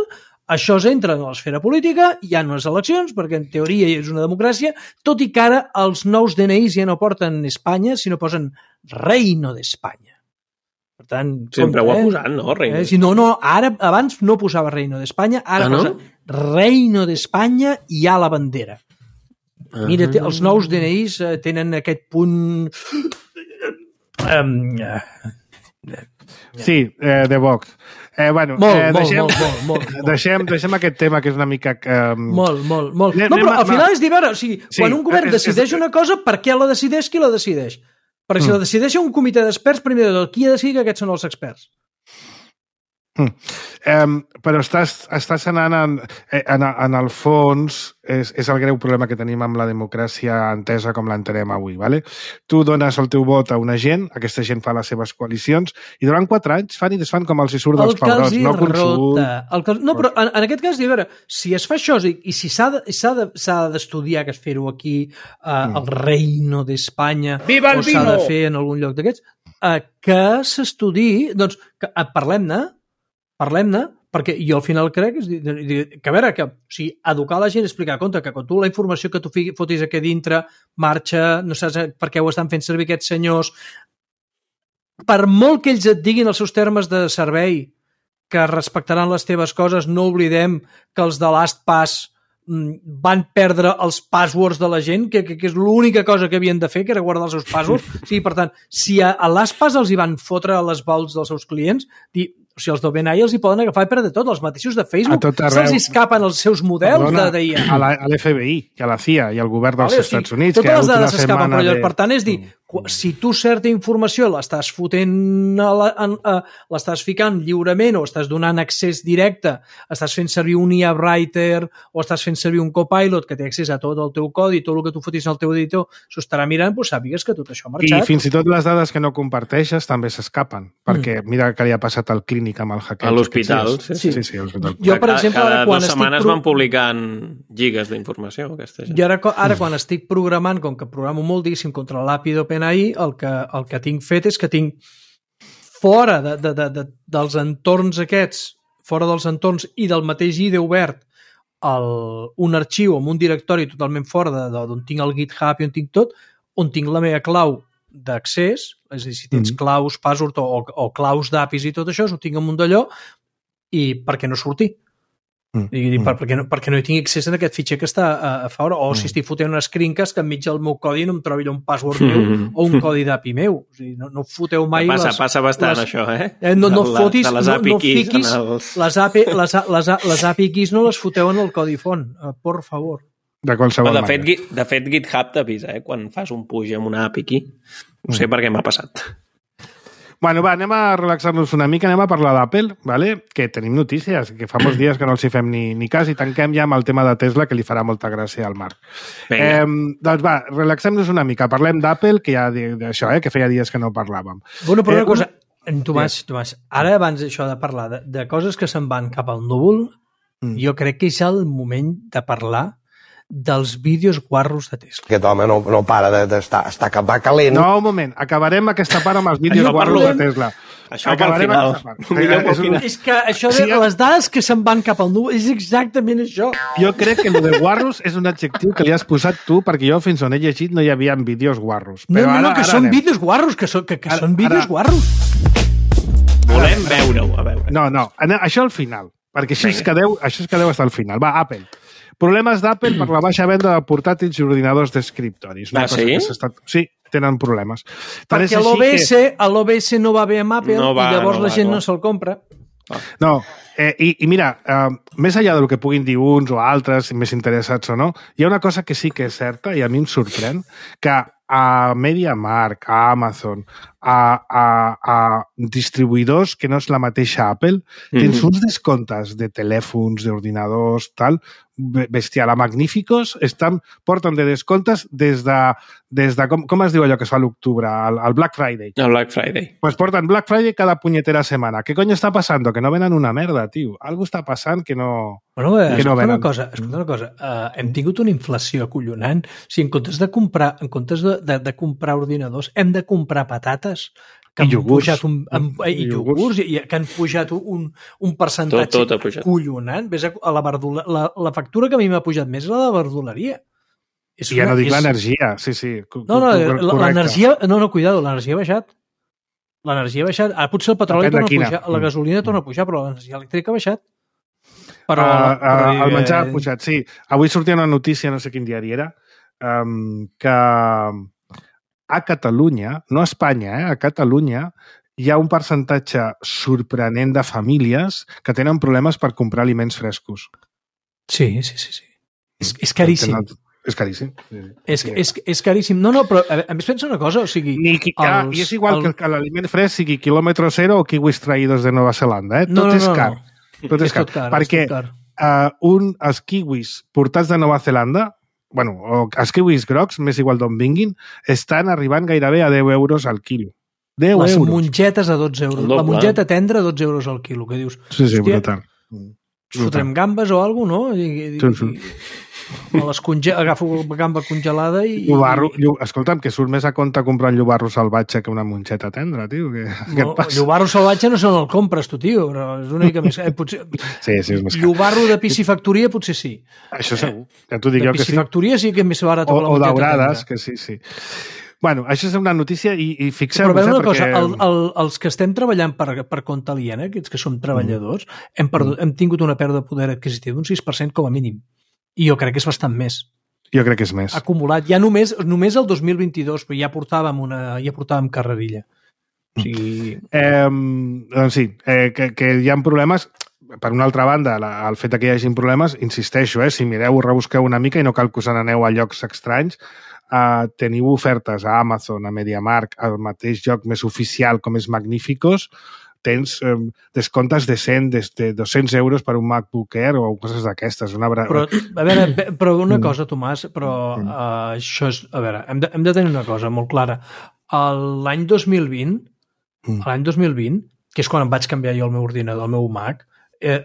S3: això entra en l'esfera política, hi ha unes eleccions, perquè en teoria és una democràcia, tot i que ara els nous DNIs ja no porten Espanya, sinó posen Reino d'Espanya. Per tant...
S4: Sempre ho ha posat, no? Reino.
S3: No, ara abans no posava Reino d'Espanya, ara posa Reino d'Espanya i hi ha la bandera. Mira, els nous DNIs tenen aquest punt...
S2: Sí, de Vox. Deixem aquest tema que és una mica...
S3: Molt. No, però al final és dir, quan un govern decideix una cosa, per què la decideix, qui la decideix? Perquè si la decideix un comitè d'experts, primer de tot, qui ha decidit que aquests són els experts?
S2: Però estàs anant en el fons, és el greu problema que tenim amb la democràcia entesa com l'entenem avui, vale? Tu dones el teu vot a una gent, aquesta gent fa les seves coalicions i durant 4 anys fan i desfan com els hi surt dels pebrots, no consult.
S3: No, però en aquest cas, a veure, si es fa això i si s'ha d'estudiar que es fer-ho aquí al Reino d'Espanya o s'ha de fer en algun lloc d'aquests, que s'estudiï, doncs parlem-ne, perquè jo al final crec que, a veure, educar la gent, explicar, compte, que quan tu la informació que tu fotis aquí dintre marxa, no saps per què ho estan fent servir aquests senyors, per molt que ells et diguin els seus termes de servei que respectaran les teves coses, no oblidem que els de LastPass van perdre els passwords de la gent, que és l'única cosa que havien de fer, que era guardar els seus passwords. Per tant, si a LastPass els hi van fotre a les vaults dels seus clients, els d'OpenAI els hi poden agafar i perdre tot, els mateixos de Facebook, se'ls escapen els seus models d'IA.
S2: A l'FBI, i a la CIA, i al govern dels Estats Units.
S3: Totes les dades s'escapen, però per tant és dir, si tu certa informació l'estàs fotent, l'estàs ficant lliurement o estàs donant accés directe, estàs fent servir un IA Writer o estàs fent servir un Copilot que té accés a tot el teu codi, tot el que tu fotis en el teu editor, s'ho estarà mirant, doncs sàpigues que tot això ha marxat.
S2: I fins i tot les dades que no comparteixes també s'escapen, perquè mira que li ha passat al clínic amb el hackeig.
S4: A l'hospital.
S2: Sí, a l'hospital.
S3: Jo, per exemple,
S4: cada 2 setmanes van publicant gigas d'informació, aquesta gent.
S3: Jo ara quan estic programant, com que programo molt, diguéssim, contra l'API d'OpenAI, el que tinc fet és que tinc fora dels entorns aquests, fora dels entorns i del mateix IDE obert, un arxiu amb un directori totalment fora d'on tinc el GitHub i on tinc tot, on tinc la meva clau d'accés, és a dir, si tens claus, password o claus d'APIs i tot això, ho tinc amunt d'allò, i perquè no surti. Perquè no hi tinc accés a aquest fitxer que està a fora, o si estic fotent unes screencast que enmig del meu codi no em trobi un password meu o un codi d'API meu. O sigui, no foteu mai...
S4: Passa bastant això,
S3: no fotis,
S4: les API
S3: no fiquis les API keys, no les foteu en el codi font, por favor.
S2: De qualsevol manera.
S4: De fet, GitHub t'avisa, quan fas un push amb una API key. No sé per què m'ha passat.
S2: Bueno, va, anem a relaxar-nos una mica, anem a parlar d'Apple, ¿vale? Que tenim notícies, que fa molts dies que no els hi fem ni cas, i tanquem ja amb el tema de Tesla, que li farà molta gràcia al Marc. Doncs va, relaxem-nos una mica, parlem d'Apple, que ja d'això, que feia dies que no parlàvem.
S3: Bueno, però una cosa, Tomàs, ara abans d'això de parlar de coses que se'n van cap al núvol, jo crec que és el moment de parlar dels vídeos guarros de Tesla.
S6: Aquest home no para d'estar va calent.
S2: No, un moment, acabarem aquesta part amb els vídeos guarros de Tesla.
S4: Això pel final.
S3: És que això de les dades que se'n van cap al núvol és exactament això.
S2: Jo crec que el de guarros és un adjectiu que li has posat tu, perquè jo fins on he llegit no hi havia vídeos guarros.
S3: No, que són vídeos guarros, que són vídeos guarros.
S4: Volem veure-ho, a veure.
S2: No, això al final, perquè això es quedeu fins al final. Va, Apple. Problemes d'Apple per la baixa venda de portàtils i ordinadors d'escriptoris.
S4: Sí?
S2: Sí, tenen problemes.
S3: Perquè l'OBS no va bé amb Apple i llavors la gent no se'l compra.
S2: No, i mira, més enllà del que puguin dir uns o altres, més interessats o no, hi ha una cosa que sí que és certa i a mi em sorprèn, que a MediaMarkt, a Amazon, a distribuïdors que no és la mateixa Apple, tens uns descomptes de telèfons, d'ordinadors, tal, bestial. A Magníficos porten de descomptes des de com es diu allò que es fa a l'octubre? El Black Friday.
S4: El Black Friday.
S2: Pues porten Black Friday cada punyetera setmana. ¿Qué coño está pasando? Que no venen una merda, tio. Algo està passant que no...
S3: Bueno, escolta una cosa. Hem tingut una inflació acollonant. O sigui, en comptes de comprar ordinadors, hem de comprar patates que han pujat iogurts que han pujat un percentatge collonant. Ves a la factura que a mi m'ha pujat més és la de verduleria.
S2: Ja no dic l'energia, sí.
S3: L'energia... No, cuidado, l'energia ha baixat. L'energia ha baixat. Ara potser el petroli torna a pujar, la gasolina torna a pujar, però l'energia elèctrica ha baixat.
S2: El menjar ha pujat, sí. Avui sortia una notícia, no sé quin diari era, que a Catalunya, no a Espanya, a Catalunya, hi ha un percentatge sorprenent de famílies que tenen problemes per comprar aliments frescos.
S3: Sí. És caríssim.
S2: És caríssim.
S3: És caríssim. No, però a més pensa una cosa, o sigui...
S2: I és igual que l'aliment fresc sigui quilòmetre zero o kiwis traïdos de Nova Zelanda, Tot és car. Tot és car. Perquè els kiwis portats de Nova Zelanda, o els kiwis grocs, més igual d'on vinguin, estan arribant gairebé a 10 euros al quilo. 10
S3: Les
S2: euros.
S3: mongetes a 12 euros. La mongeta tendra a 12 euros al quilo, que dius...
S2: Sí, brutal.
S3: Fotrem gambes o alguna cosa, no? Agafo gamba congelada i...
S2: Escolta'm, que surt més a compte comprar un llobarro salvatge que una monxeta tendra, tio.
S3: Llobarro salvatge no se el compres, tu, tio, però és una mica més...
S2: Sí, és més car.
S3: Llobarro de piscifactoria potser sí.
S2: Això segur. Ja t'ho dic jo que sí.
S3: De piscifactoria sí que és més barat que la monxeta tendra.
S2: O daurades, que sí. Bueno, això és una notícia i fixeu-vos...
S3: Però una cosa, els que estem treballant per compte aliena, aquests que som treballadors, hem tingut una pèrdua de poder adquisitiu d'un 6% com a mínim. I jo crec que és bastant més.
S2: Jo crec que és més.
S3: Acumulat. Ja només el 2022, però ja portàvem carrerilla. O sigui...
S2: Doncs sí, que hi ha problemes... per una altra banda, el fet que hi hagi problemes, insisteixo, si mireu, rebusqueu una mica i no cal que us n'aneu a llocs estranys, teniu ofertes a Amazon, a MediaMarkt, al mateix lloc més oficial com és Magníficos, tens descomptes de 100, de 200 euros per un MacBook Air o coses d'aquestes.
S3: Però, a veure, però una cosa, Tomàs, però això és... A veure, hem de tenir una cosa molt clara. L'any 2020, que és quan em vaig canviar jo el meu ordinador, el meu Mac,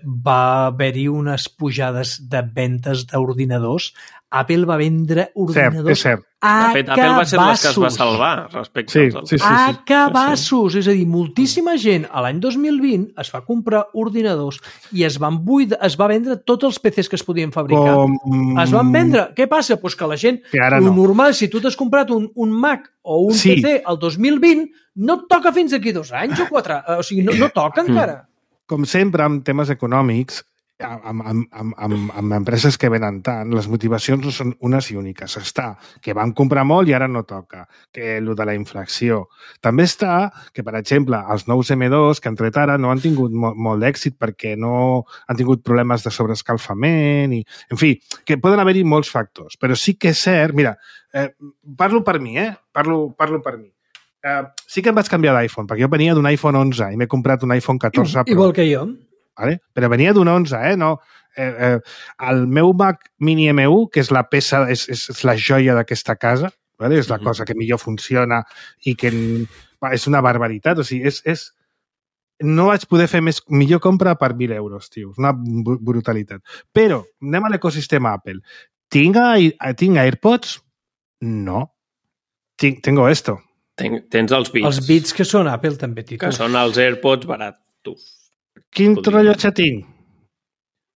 S3: va haver-hi unes pujades de ventes d'ordinadors. Apple va vendre ordinadors
S2: cert.
S3: a
S4: de fet, Apple va ser les que es va salvar respecte als altres.
S3: A cabassos! És a dir, moltíssima gent a l'any 2020 es va comprar ordinadors i es va vendre tots els PCs que es podien fabricar. Es van vendre. Què passa? Pues que la gent, normal, si tu t'has comprat un Mac o un PC el 2020, no et toca fins aquí 2 anys o 4. O sigui, no toca encara.
S2: Com sempre, amb temes econòmics, amb empreses que venen tant, les motivacions no són unes i úniques. Està que vam comprar molt i ara no toca, que el de la inflació. També està que, per exemple, els nous M2 que han tret ara no han tingut molt d'èxit perquè no han tingut problemes de sobreescalfament i, en fi, que poden haver-hi molts factors. Però sí que és cert, mira, parlo per mi, parlo per mi. Sí que em vaig canviar d'iPhone, perquè jo venia d'un iPhone 11 i m'he comprat un iPhone 14 Pro.
S3: Igual que jo.
S2: Vale? Però venia d'un 11, no? El meu Mac Mini M1, que és la peça, és la joia d'aquesta casa, vale? És la cosa que millor funciona i que és una barbaritat. O sigui, no vaig poder fer millor compra per 1.000 euros, tio. És una brutalitat. Però anem a l'ecosistema Apple. Tinc AirPods? No. Tengo esto.
S4: Tens els Beats.
S3: Els Beats que són Apple també, Tito.
S4: Que són els AirPods baratos.
S2: Quin rellotge tinc?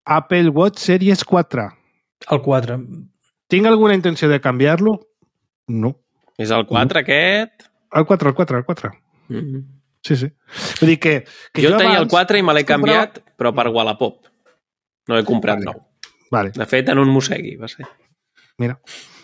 S2: Apple Watch Series 4.
S3: El 4.
S2: Tinc alguna intenció de canviar-lo? No.
S4: És el 4 aquest?
S2: El 4. Sí. Vull dir que
S4: jo tenia el 4 i me l'he canviat, però per Wallapop. No he comprat nou.
S2: Vale.
S4: De fet, en un mossegui, va ser.
S2: Mira.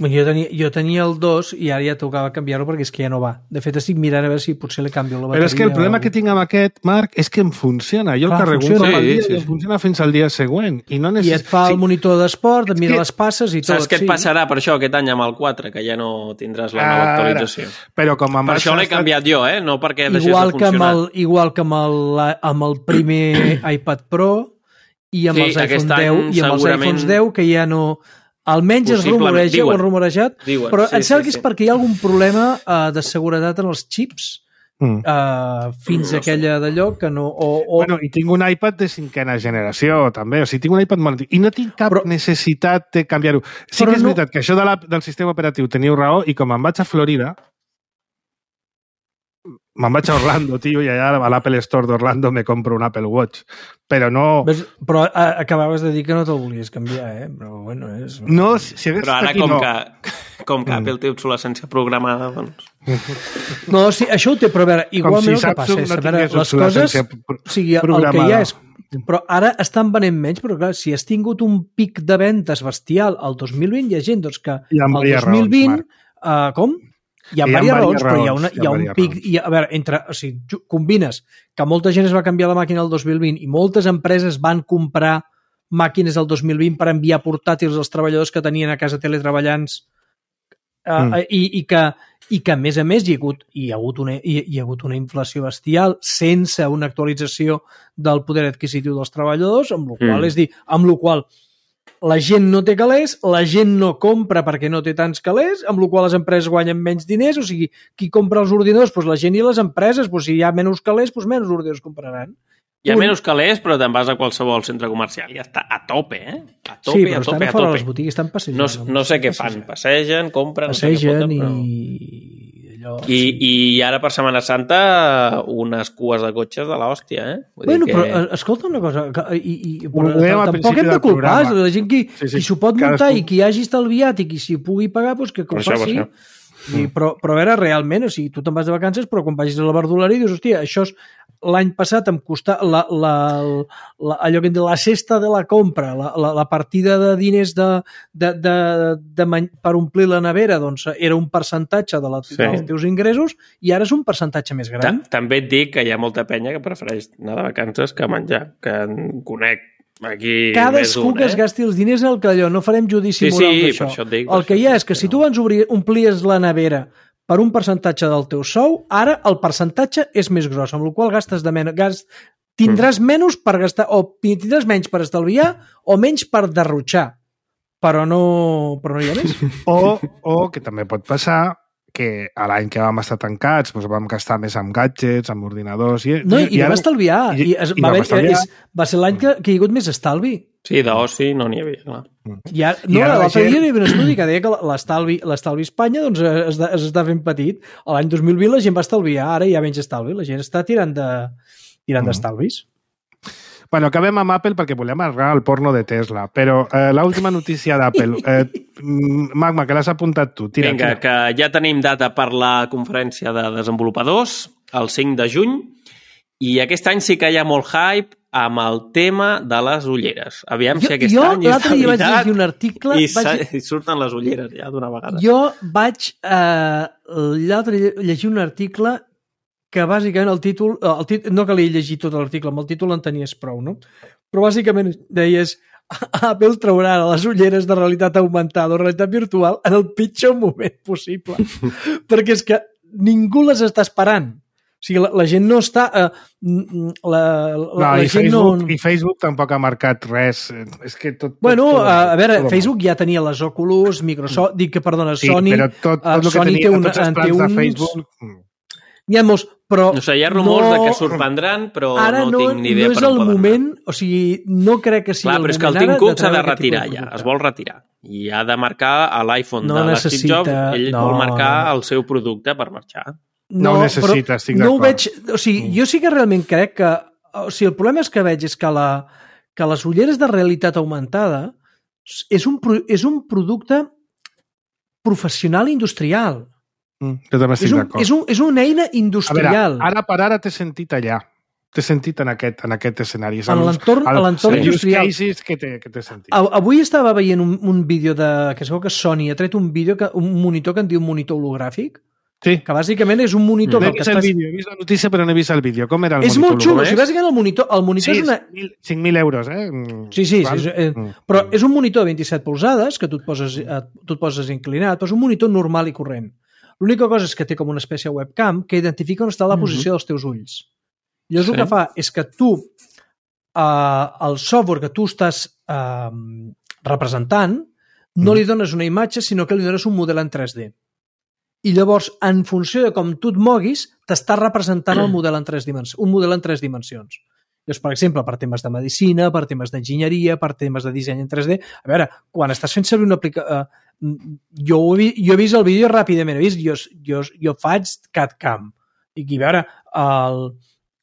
S3: Jo tenia el 2 i ara ja tocava canviar-lo perquè és que ja no va. De fet, estic mirant a veure si potser li canvio la bateria.
S2: Però és que el problema que tinc amb aquest, Marc, és que em funciona. Jo el carrego un cop al dia i em funciona fins al dia següent. I
S3: et fa el monitor d'esport, et mira les passes i tot.
S4: Saps què et passarà per això aquest any amb el 4, que ja no tindràs la nova actualització?
S2: Però com
S4: per això l'he canviat jo, no perquè deixés de funcionar.
S3: Igual que amb el primer iPad Pro i amb els iPhone 10 i amb els iPhones 10, que ja no... Almenys es rumoreja o han rumorejat, però em sembla que és perquè hi ha algun problema de seguretat en els xips fins a aquella d'allò que no...
S2: Bueno, i tinc un iPad de 5ª generació, també. O sigui, tinc un iPad molt antic. I no tinc cap necessitat de canviar-ho. Sí que és veritat que això del sistema operatiu teniu raó, i com em vaig a Florida, me'n vaig a Orlando, tio, i allà a l'Apple Store d'Orlando me compro un Apple Watch. Però no...
S3: Però acabaves de dir que no te'l volies canviar, Però bueno, és...
S2: No, si hagués
S4: però ara com que Apple té obsolescència programada, doncs...
S3: No, sí, això ho té, però a veure, igualment el que passa és, a veure, les coses... O sigui, el que hi ha és... Però ara estan venent menys, però clar, si has tingut un pic de ventes bestial el 2020, hi ha gent doncs, que el 2020... Com? Hi ha diverses raons, però hi ha un pic... A veure, o sigui, combines que molta gent es va canviar la màquina el 2020 i moltes empreses van comprar màquines el 2020 per enviar portàtils als treballadors que tenien a casa teletreballants i que, a més a més, hi ha hagut una inflació bestial sense una actualització del poder adquisitiu dels treballadors, amb la qual la gent no té calés, la gent no compra perquè no té tants calés, amb la qual les empreses guanyen menys diners, o sigui, qui compra els ordinadors? Doncs la gent i les empreses, doncs si hi ha menys calés, doncs menys ordinadors compraran.
S4: Hi ha menys calés, però te'n vas a qualsevol centre comercial i ja està a tope, A tope,
S3: sí, però estan fora de les botigues, estan passejant.
S4: No sé què fan, passegen, compren...
S3: Passegen
S4: i ara per Setmana Santa unes cues de cotxes de l'hòstia,
S3: Bueno, però escolta una cosa, tampoc hem de culpar la gent qui s'ho pot muntar i qui hagi estalviat i qui s'hi pugui pagar, doncs que ho faci. Però a veure, realment, o sigui, tu te'n vas de vacances, però quan vagis a la verduleria dius, hòstia, això l'any passat em costava allò que em diu la cesta de la compra, la partida de diners per omplir la nevera, doncs era un percentatge dels teus ingressos i ara és un percentatge més gran.
S4: També et dic que hi ha molta penya que prefereix anar de vacances que menjar, que en conec aquí
S3: cadascú que es gasti els diners al calló, no farem judici moral d'això.
S4: Per això et dic,
S3: el que hi ha és que si tu abans omplies la nevera per un percentatge del teu sou, ara el percentatge és més gros, amb la qual gastes de menys. Tindràs menys per gastar, o tindràs menys per estalviar, o menys per derrotxar. Però no hi ha més.
S2: O que també pot passar que a l'any que vam estar tancats doncs vam gastar més amb gadgets, amb ordinadors...
S3: I vam estalviar. Va ser l'any que hi ha hagut més estalvi.
S4: Sí, d'oci no n'hi havia, clar.
S3: L'altre dia hi havia un estudi que deia que l'estalvi a Espanya doncs, està fent petit. L'any 2020 la gent va estalviar, ara hi ha menys estalvi. La gent està tirant d'estalvis.
S2: Bueno, acabem amb Apple perquè volem arribar al porno de Tesla, però l'última notícia d'Apple. Magma, que l'has apuntat tu.
S4: Vinga, que ja tenim data per la conferència de desenvolupadors, el 5 de juny, i aquest any sí que hi ha molt hype amb el tema de les ulleres. Aviam si aquest any és de veritat
S3: un article,
S4: i surten les ulleres ja d'una vegada.
S3: Jo vaig llegir un article que bàsicament el títol no calia llegir tot l'article, amb el títol en tenies prou, no? Però bàsicament deies Apple traurà les ulleres de realitat augmentada o realitat virtual en el pitjor moment possible. Perquè és que ningú les està esperant. O sigui, la gent no està...
S2: I Facebook tampoc ha marcat res. És que tot...
S3: Bueno, a veure, Facebook ja tenia les Oculus, Microsoft... Dic que, perdona, Sony...
S2: Sí, però tot el que tenia, tots els plans de Facebook...
S3: N'hi ha molts, però...
S4: No sé, hi ha rumors de que sorprendran, però no tinc ni idea per on poden anar. Ara no és el moment,
S3: o sigui, no crec que sigui el moment ara...
S4: Clar, però és que el Tim Cook s'ha de retirar ja, es vol retirar. I ha de marcar a l'iPhone de l'Steve Jobs, ell vol marcar el seu producte per marxar.
S2: No ho necessita, estic d'acord.
S3: No ho veig... O sigui, jo sí que realment crec que... O sigui, el problema és que veig és que les ulleres de realitat augmentada és un producte professional industrial.
S2: Jo també estic d'acord.
S3: És una eina industrial.
S2: A veure, ara per ara t'he sentit allà. T'he sentit en aquest escenari.
S3: A l'entorn industrial.
S2: Cases que t'he sentit.
S3: Avui estava veient un vídeo que es veu que Sony ha tret un monitor que en diu monitor hologràfic.
S2: Sí.
S3: Que bàsicament és un monitor...
S2: He vist la notícia però no he vist el vídeo. Com era el monitor?
S3: És molt xulo. O sigui, bàsicament el monitor
S2: sí,
S3: és una...
S2: 5.000 euros, eh?
S3: Sí. Però és un monitor de 27 polzades que tu et poses inclinat, però és un monitor normal i corrent. L'única cosa és que té com una espècie de webcam que identifica on està la posició dels teus ulls. Llavors el que fa és que tu, el software que tu estàs representant, no li dones una imatge, sinó que li dones un model en 3D. I llavors, en funció de com tu et moguis, t'està representant un model en 3 dimensions. Llavors, per exemple, per temes de medicina, per temes d'enginyeria, per temes de disseny en 3D... A veure, quan estàs fent servir una aplicació... Jo he vist el vídeo ràpidament, jo faig CAD-CAM. I a veure,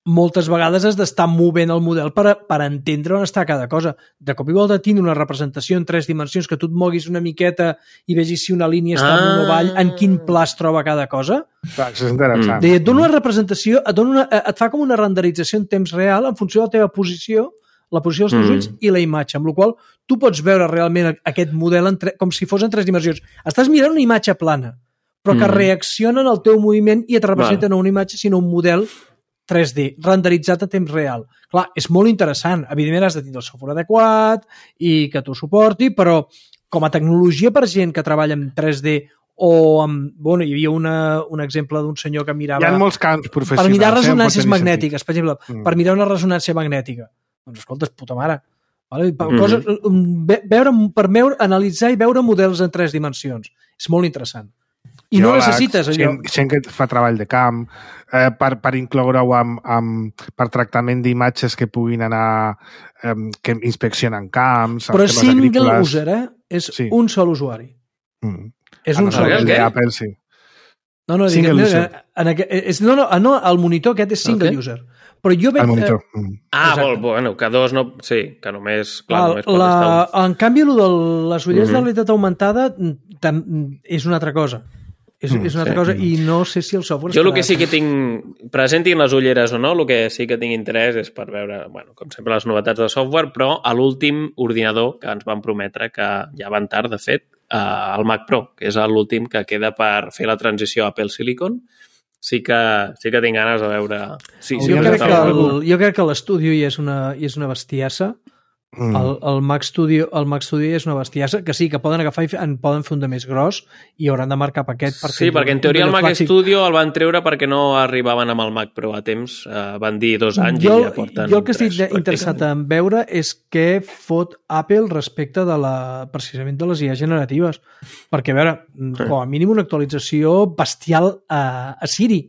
S3: moltes vegades has d'estar movent el model per entendre on està cada cosa. De cop i volta tindre una representació en 3 dimensions, que tu et moguis una miqueta i vegis si una línia està en un avall, en quin pla es troba cada cosa.
S2: Clar, això és interessant.
S3: Et dona una representació, et fa com una renderització en temps real en funció de la teva posició, la posició dels teus ulls i la imatge, amb la qual tu pots veure realment aquest model com si fos en 3 dimensions. Estàs mirant una imatge plana, però que reacciona en el teu moviment i et representa no una imatge, sinó un model 3D, renderitzat a temps real. Clar, és molt interessant. Evidentment has de tenir el software adequat i que t'ho suporti, però com a tecnologia per gent que treballa en 3D o amb... Bueno, hi havia un exemple d'un senyor que mirava...
S2: Hi ha molts camps professionals.
S3: Per mirar ressonàncies magnètiques, per exemple, per mirar una ressonància magnètica. Doncs escolta, puta mare. Vale? Analitzar i veure models en 3 dimensions. És molt interessant. I no necessites allò.
S2: Gent que fa treball de camp, per incloure-ho per tractament d'imatges que puguin anar, que inspeccionen camps...
S3: Però és single user, eh? És un sol usuari. És un sol usuari.
S2: Apple, sí.
S3: No,
S2: single user.
S3: No, el monitor aquest és single user. Però jo veig...
S2: El monitor.
S4: Bueno, que dos no... Sí, que només... Clar, només pot estar
S3: en canvi, el de les ulleres de realitat augmentada és una altra cosa. És una altra cosa, i no sé si el software...
S4: Jo el que sí que tinc... Presentin les ulleres o no, el que sí que tinc interès és per veure, bueno, com sempre, les novetats de software, però a l'últim ordinador que ens van prometre, que ja van tard, de fet, el Mac Pro, que és l'últim que queda per fer la transició a Apple Silicon, sí que tinc ganes de veure... Sí,
S3: jo crec que l'Studio ja és una bestiassa. El Mac Studio és una bestiassa, que sí, que poden agafar i poden fer un de més gros i hauran de marcar paquet.
S4: Sí, perquè en teoria el Mac Studio el van treure perquè no arribaven amb el Mac Pro a temps, van dir 2 anys i ja porten 3.
S3: Jo el que estic interessat en veure és què fot Apple respecte precisament de les IA generatives, perquè a veure, com a mínim una actualització bestial a Siri.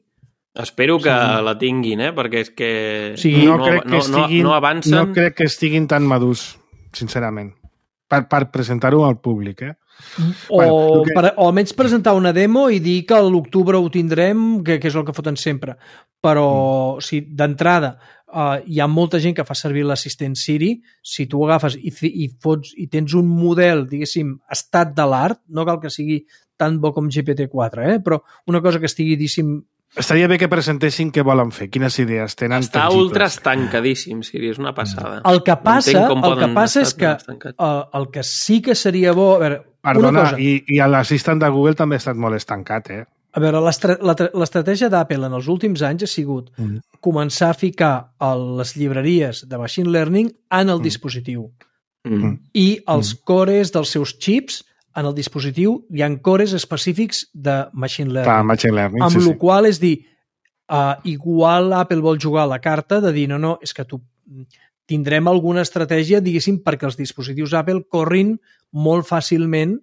S4: Espero que la tinguin, perquè és que
S2: no
S4: avancen.
S2: No crec que estiguin tan madurs, sincerament, per presentar-ho al públic.
S3: O almenys presentar una demo i dir que a l'octubre ho tindrem, que és el que foten sempre. Però d'entrada hi ha molta gent que fa servir l'assistent Siri. Si tu agafes i tens un model, diguéssim, estat de l'art, no cal que sigui tan bo com GPT-4, però una cosa que estigui, diguéssim,
S2: estaria bé que presentessin què volen fer, quines idees tenen.
S4: Està ultra estancadíssim, Siri, és una passada.
S3: El que passa és que el que sí que seria bo... A veure,
S2: perdona, i l'assistent de Google també ha estat molt estancat,
S3: A veure, l'estratègia d'Apple en els últims anys ha sigut començar a ficar les llibreries de Machine Learning en el dispositiu. I els cores dels seus xips en el dispositiu hi ha cores específics de Machine Learning. Amb la qual és dir, igual Apple vol jugar a la carta de dir, no, és que tindrem alguna estratègia, diguéssim, perquè els dispositius Apple corrin molt fàcilment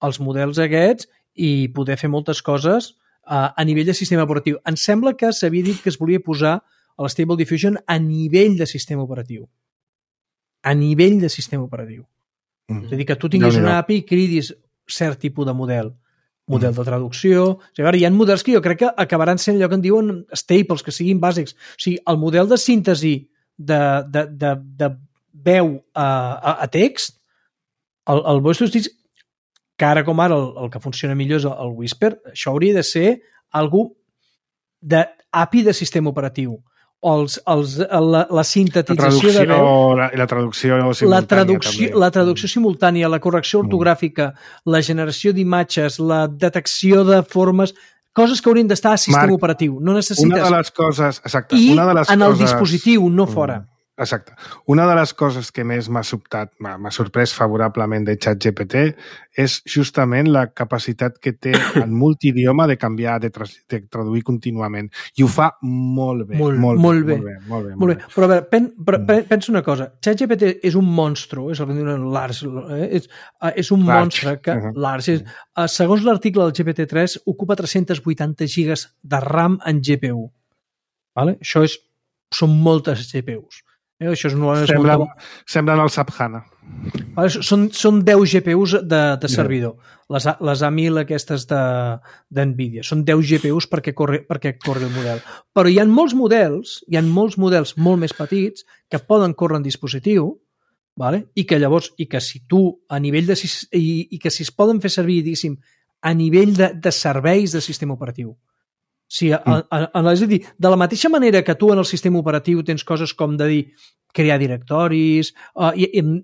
S3: els models aquests i poder fer moltes coses a nivell de sistema operatiu. Em sembla que s'havia dit que es volia posar a l'Stable Diffusion a nivell de sistema operatiu. A nivell de sistema operatiu. És a dir, que tu tinguis una API i cridis cert tipus de model de traducció. O sigui, hi ha models que jo crec que acabaran sent allò que en diuen staples, que siguin bàsics. O sigui, el model de síntesi de veu a text, el voice to speech, que ara com ara el que funciona millor és el Whisper, això hauria de ser algú d'API de sistema operatiu. La sintetització de veu,
S2: la traducció simultània,
S3: la traducció simultània, la correcció ortogràfica, la generació d'imatges, la detecció de formes, coses que haurien d'estar a sistema operatiu. No necessites...
S2: Una de les coses... Exacte.
S3: En el dispositiu, no fora.
S2: Exacte. Una de les coses que més m'ha sorprès favorablement de ChatGPT és justament la capacitat que té en multidioma de canviar, de traduir contínuament. I ho fa molt bé. Molt bé.
S3: Però a veure, pensa una cosa. ChatGPT és un monstru, és el que diuen Lars, és un monstre que Lars, segons l'article del GPT-3, ocupa 380 gigas de RAM en GPU. Això són moltes GPUs. Això
S2: semblen el SAP HANA.
S3: Són 10 GPUs de servidor. Les A1000 aquestes d'NVIDIA. Són 10 GPUs perquè corri el model. Però hi ha molts models molt més petits que poden córrer en dispositiu, i que llavors, i que si tu a nivell i que si es poden fer servir, diguéssim, a nivell de serveis de sistema operatiu. Sí, és a dir, de la mateixa manera que tu en el sistema operatiu tens coses com de dir crear directoris,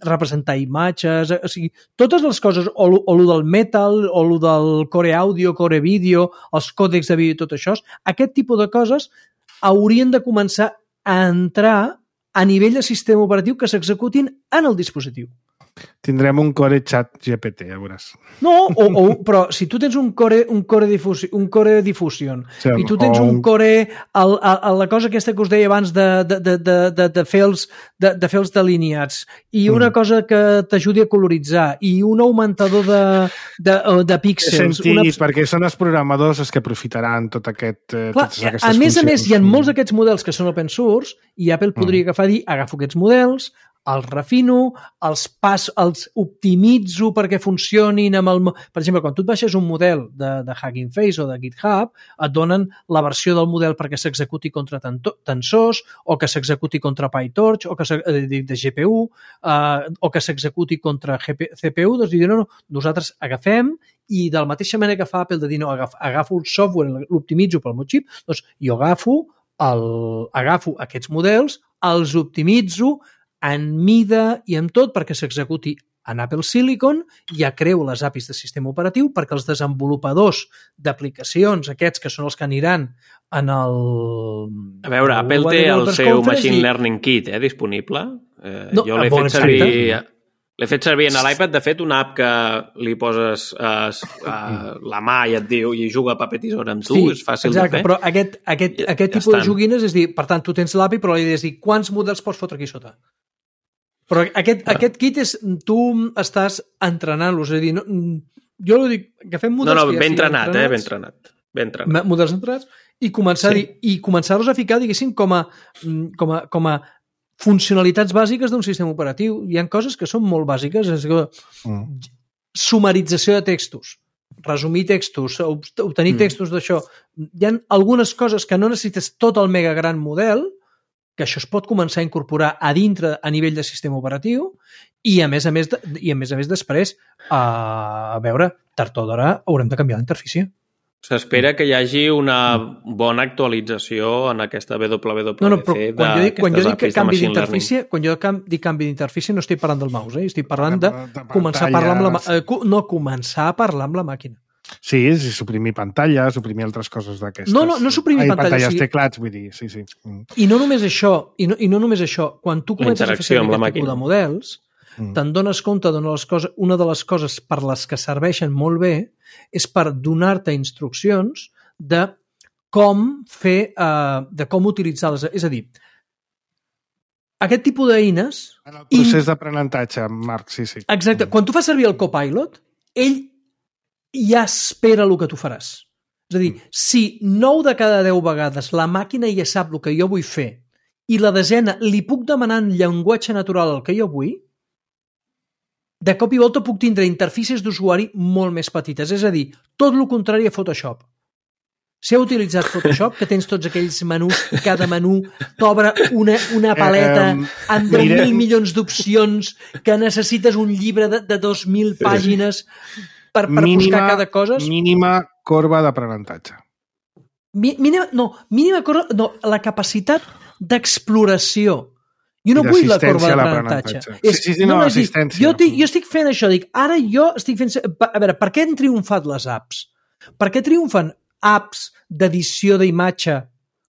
S3: representar imatges, o sigui, totes les coses, o el del Metal, o el del Core Audio, Core Video, els còdecs de vídeo i tot això, aquest tipus de coses haurien de començar a entrar a nivell de sistema operatiu que s'executin en el dispositiu.
S2: Tindrem un core chat GPT, ja veuràs.
S3: No, però si tu tens un core diffusion i tu tens un core la cosa aquesta que us deia abans de fer els delineats i una cosa que t'ajudi a coloritzar i un augmentador de píxels...
S2: He sentit, perquè són els programadors els que aprofitaran totes aquestes funcions.
S3: A més, hi ha molts d'aquests models que són open source i Apple podria agafar i dir, agafo aquests models, els refino, els optimitzo perquè funcionin amb el... Per exemple, quan tu et baixes un model de Hugging Face o de GitHub, et donen la versió del model perquè s'executi contra tensors, o que s'executi contra PyTorch, o que de GPU, o que s'executi contra CPU. Doncs diuen, no, nosaltres agafem i de la mateixa manera que fa Apple de dir, no, agafo el software, l'optimitzo pel meu xip, doncs jo agafo aquests models, els optimitzo en mida i en tot perquè s'executi en Apple Silicon, ja creo les APIs de sistema operatiu perquè els desenvolupadors d'aplicacions, aquests que són els que aniran en el...
S4: A veure, Apple té el seu Machine Learning Kit disponible. Jo l'he fet servir... L'he fet servir en l'iPad, de fet, una app que li poses la mà i et diu i juga paper tisora amb tu, és fàcil de fer.
S3: Exacte, però aquest tipus de joguines és dir, per tant, tu tens l'API, però li has de dir quants models pots fotre aquí sota. Però aquest kit és, tu estàs entrenant-los, és a dir, jo dic, agafem models...
S4: No, ben entrenat, ben entrenat.
S3: Models entrenats i començar-los a ficar, diguéssim, com a funcionalitats bàsiques d'un sistema operatiu. Hi ha coses que són molt bàsiques, és que sumarització de textos, resumir textos, obtenir textos d'això. Hi ha algunes coses que no necessites tot el mega gran model, que això es pot començar a incorporar a dintre a nivell de sistema operatiu i a més a més després, a veure, tard o d'hora haurem de canviar l'interfície.
S4: S'espera que hi hagi una bona actualització en aquesta WWDC
S3: quan jo dic canvi d'interfície, quan jo dic canvi d'interfície no estic parlant del mouse, estic parlant de començar a parlar amb començar a parlar amb la màquina.
S2: Sí, suprimir pantalla, suprimir altres coses d'aquestes.
S3: No suprimir pantalles.
S2: Pantalles, teclats, vull dir, sí.
S3: I no només això, quan tu comences a fer servir aquest tipus de models, te'n dones compte una de les coses per les que serveixen molt bé és per donar-te instruccions de com utilitzar-les. És a dir, aquest tipus d'eines...
S2: En el procés d'aprenentatge, Marc, sí.
S3: Exacte. Quan tu fas servir el Copilot, ell ja espera el que tu faràs. És a dir, si 9 de cada 10 vegades la màquina ja sap el que jo vull fer i la desena li puc demanar en llenguatge natural el que jo vull, de cop i volta puc tindre interfícies d'usuari molt més petites. És a dir, tot el contrari a Photoshop. Si heu utilitzat Photoshop, que tens tots aquells menús i cada menú t'obre una paleta amb 10.000 milions d'opcions, que necessites un llibre de 2.000 pàgines per buscar cada cosa.
S2: Mínima corba d'aprenentatge.
S3: Mínima corba... No, la capacitat d'exploració. Jo no vull la corba d'aprenentatge.
S2: Assistència.
S3: Jo estic fent això, ara jo estic fent... A veure, per què han triomfat les apps? Per què triomfen apps d'edició d'imatge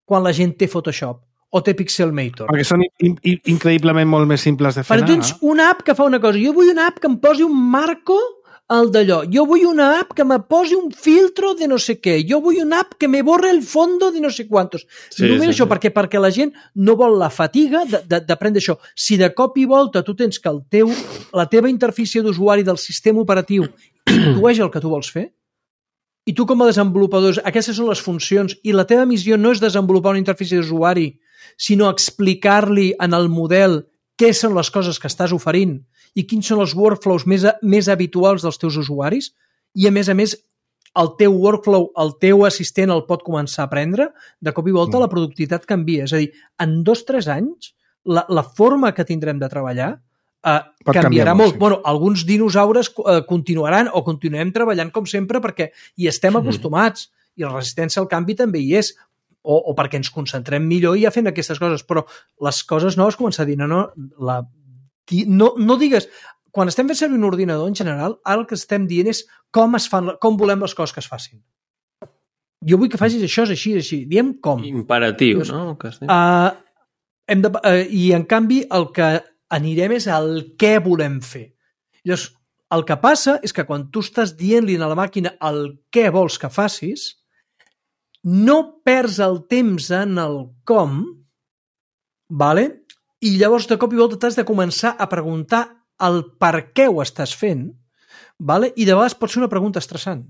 S3: quan la gent té Photoshop o té Pixelmator?
S2: Perquè són increïblement molt més simples de fer.
S3: Perquè tens una app que fa una cosa. Jo vull una app que em posi un marco al d'allò. Jo vull una app que me posi un filtro de no sé què. Jo vull una app que me borre el fondo de no sé quantos. Només això, perquè la gent no vol la fatiga d'aprendre això. Si de cop i volta tu tens que la teva interfície d'usuari del sistema operatiu intueix el que tu vols fer, i tu com a desenvolupador, aquestes són les funcions, i la teva missió no és desenvolupar una interfície d'usuari, sinó explicar-li en el model què són les coses que estàs oferint i quins són els workflows més habituals dels teus usuaris, i a més, el teu workflow, el teu assistent el pot començar a aprendre, de cop i volta la productivitat canvia. És a dir, en 2-3 anys, la forma que tindrem de treballar canviarà molt. Bueno, alguns dinosaures continuaran o continuem treballant com sempre perquè hi estem acostumats i la resistència al canvi també hi és, o perquè ens concentrem millor i ja fent aquestes coses, però les coses noves començar a dir, no digues, quan estem fent servir un ordinador en general, ara el que estem dient és com volem les coses que es facin. Jo vull que facis això, és així. Diem com.
S4: Imperatiu, no?
S3: I en canvi el que anirem és el què volem fer. Llavors, el que passa és que quan tu estàs dient-li a la màquina el què vols que facis, no perds el temps en el com, vale? I llavors de cop i volta t'has de començar a preguntar el per què ho estàs fent, vale? I de vegades pot ser una pregunta estressant,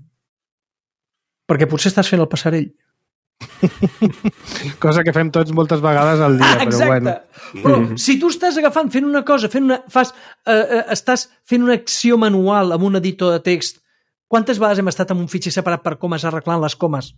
S3: perquè potser estàs fent el passarell.
S2: Cosa que fem tots moltes vegades al dia, però bueno.
S3: Però si tu estàs agafant, fent una cosa, estàs fent una acció manual amb un editor de text, quantes vegades hem estat amb un fitxer separat per comes arreglant les comes?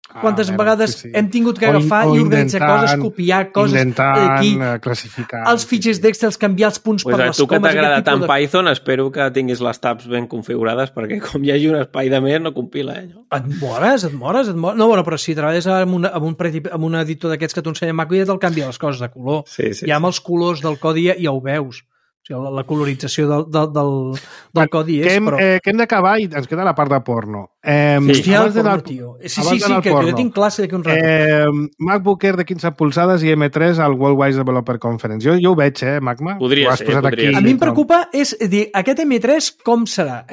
S3: Quantes vegades hem tingut que agafar i organitzar coses, copiar coses aquí,
S2: classificar
S3: els fitxers d'Excel, canviar els punts per les comes.
S4: Tu que t'agrada tant Python, espero que tinguis les tabs ben configurades, perquè com hi hagi un espai de més no compila.
S3: Et mores. No, bueno, però si treballes amb un editor d'aquests que t'ho ensenya Mac, ja te'l canvia les coses de color. Ja amb els colors del codi ja ho veus. O sigui, la colorització del codi és...
S2: Que hem d'acabar i ens queda la part de porno.
S3: Hòstia, el porno, tio. Sí, que jo tinc classe d'aquí un rato.
S2: MacBook Air de 15 polzades i M3 al Worldwide Developer Conference. Jo ho veig, Magma?
S4: Podria ser.
S3: A mi em preocupa és dir, aquest M3 com serà?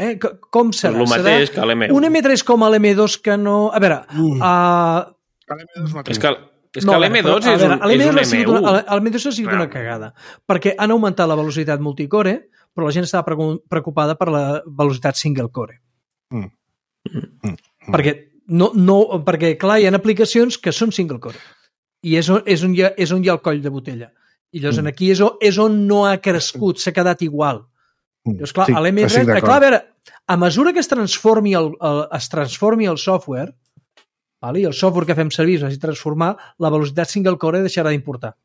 S3: Com serà?
S4: El mateix que l'M1.
S3: Un M3 com l'M2 que no... A veure...
S4: És que l'M2 és un M1.
S3: L'M2 ha sigut una cagada, perquè han augmentat la velocitat multicore, però la gent estava preocupada per la velocitat single core. Perquè, clar, hi ha aplicacions que són single core, i és on hi ha el coll de botella. I llavors aquí és on no ha crescut, s'ha quedat igual. Llavors, clar, l'M3... Clar, a veure, a mesura que es transformi el software, i el software que fem servir es vagi transformar, la velocitat single core deixarà d'importar.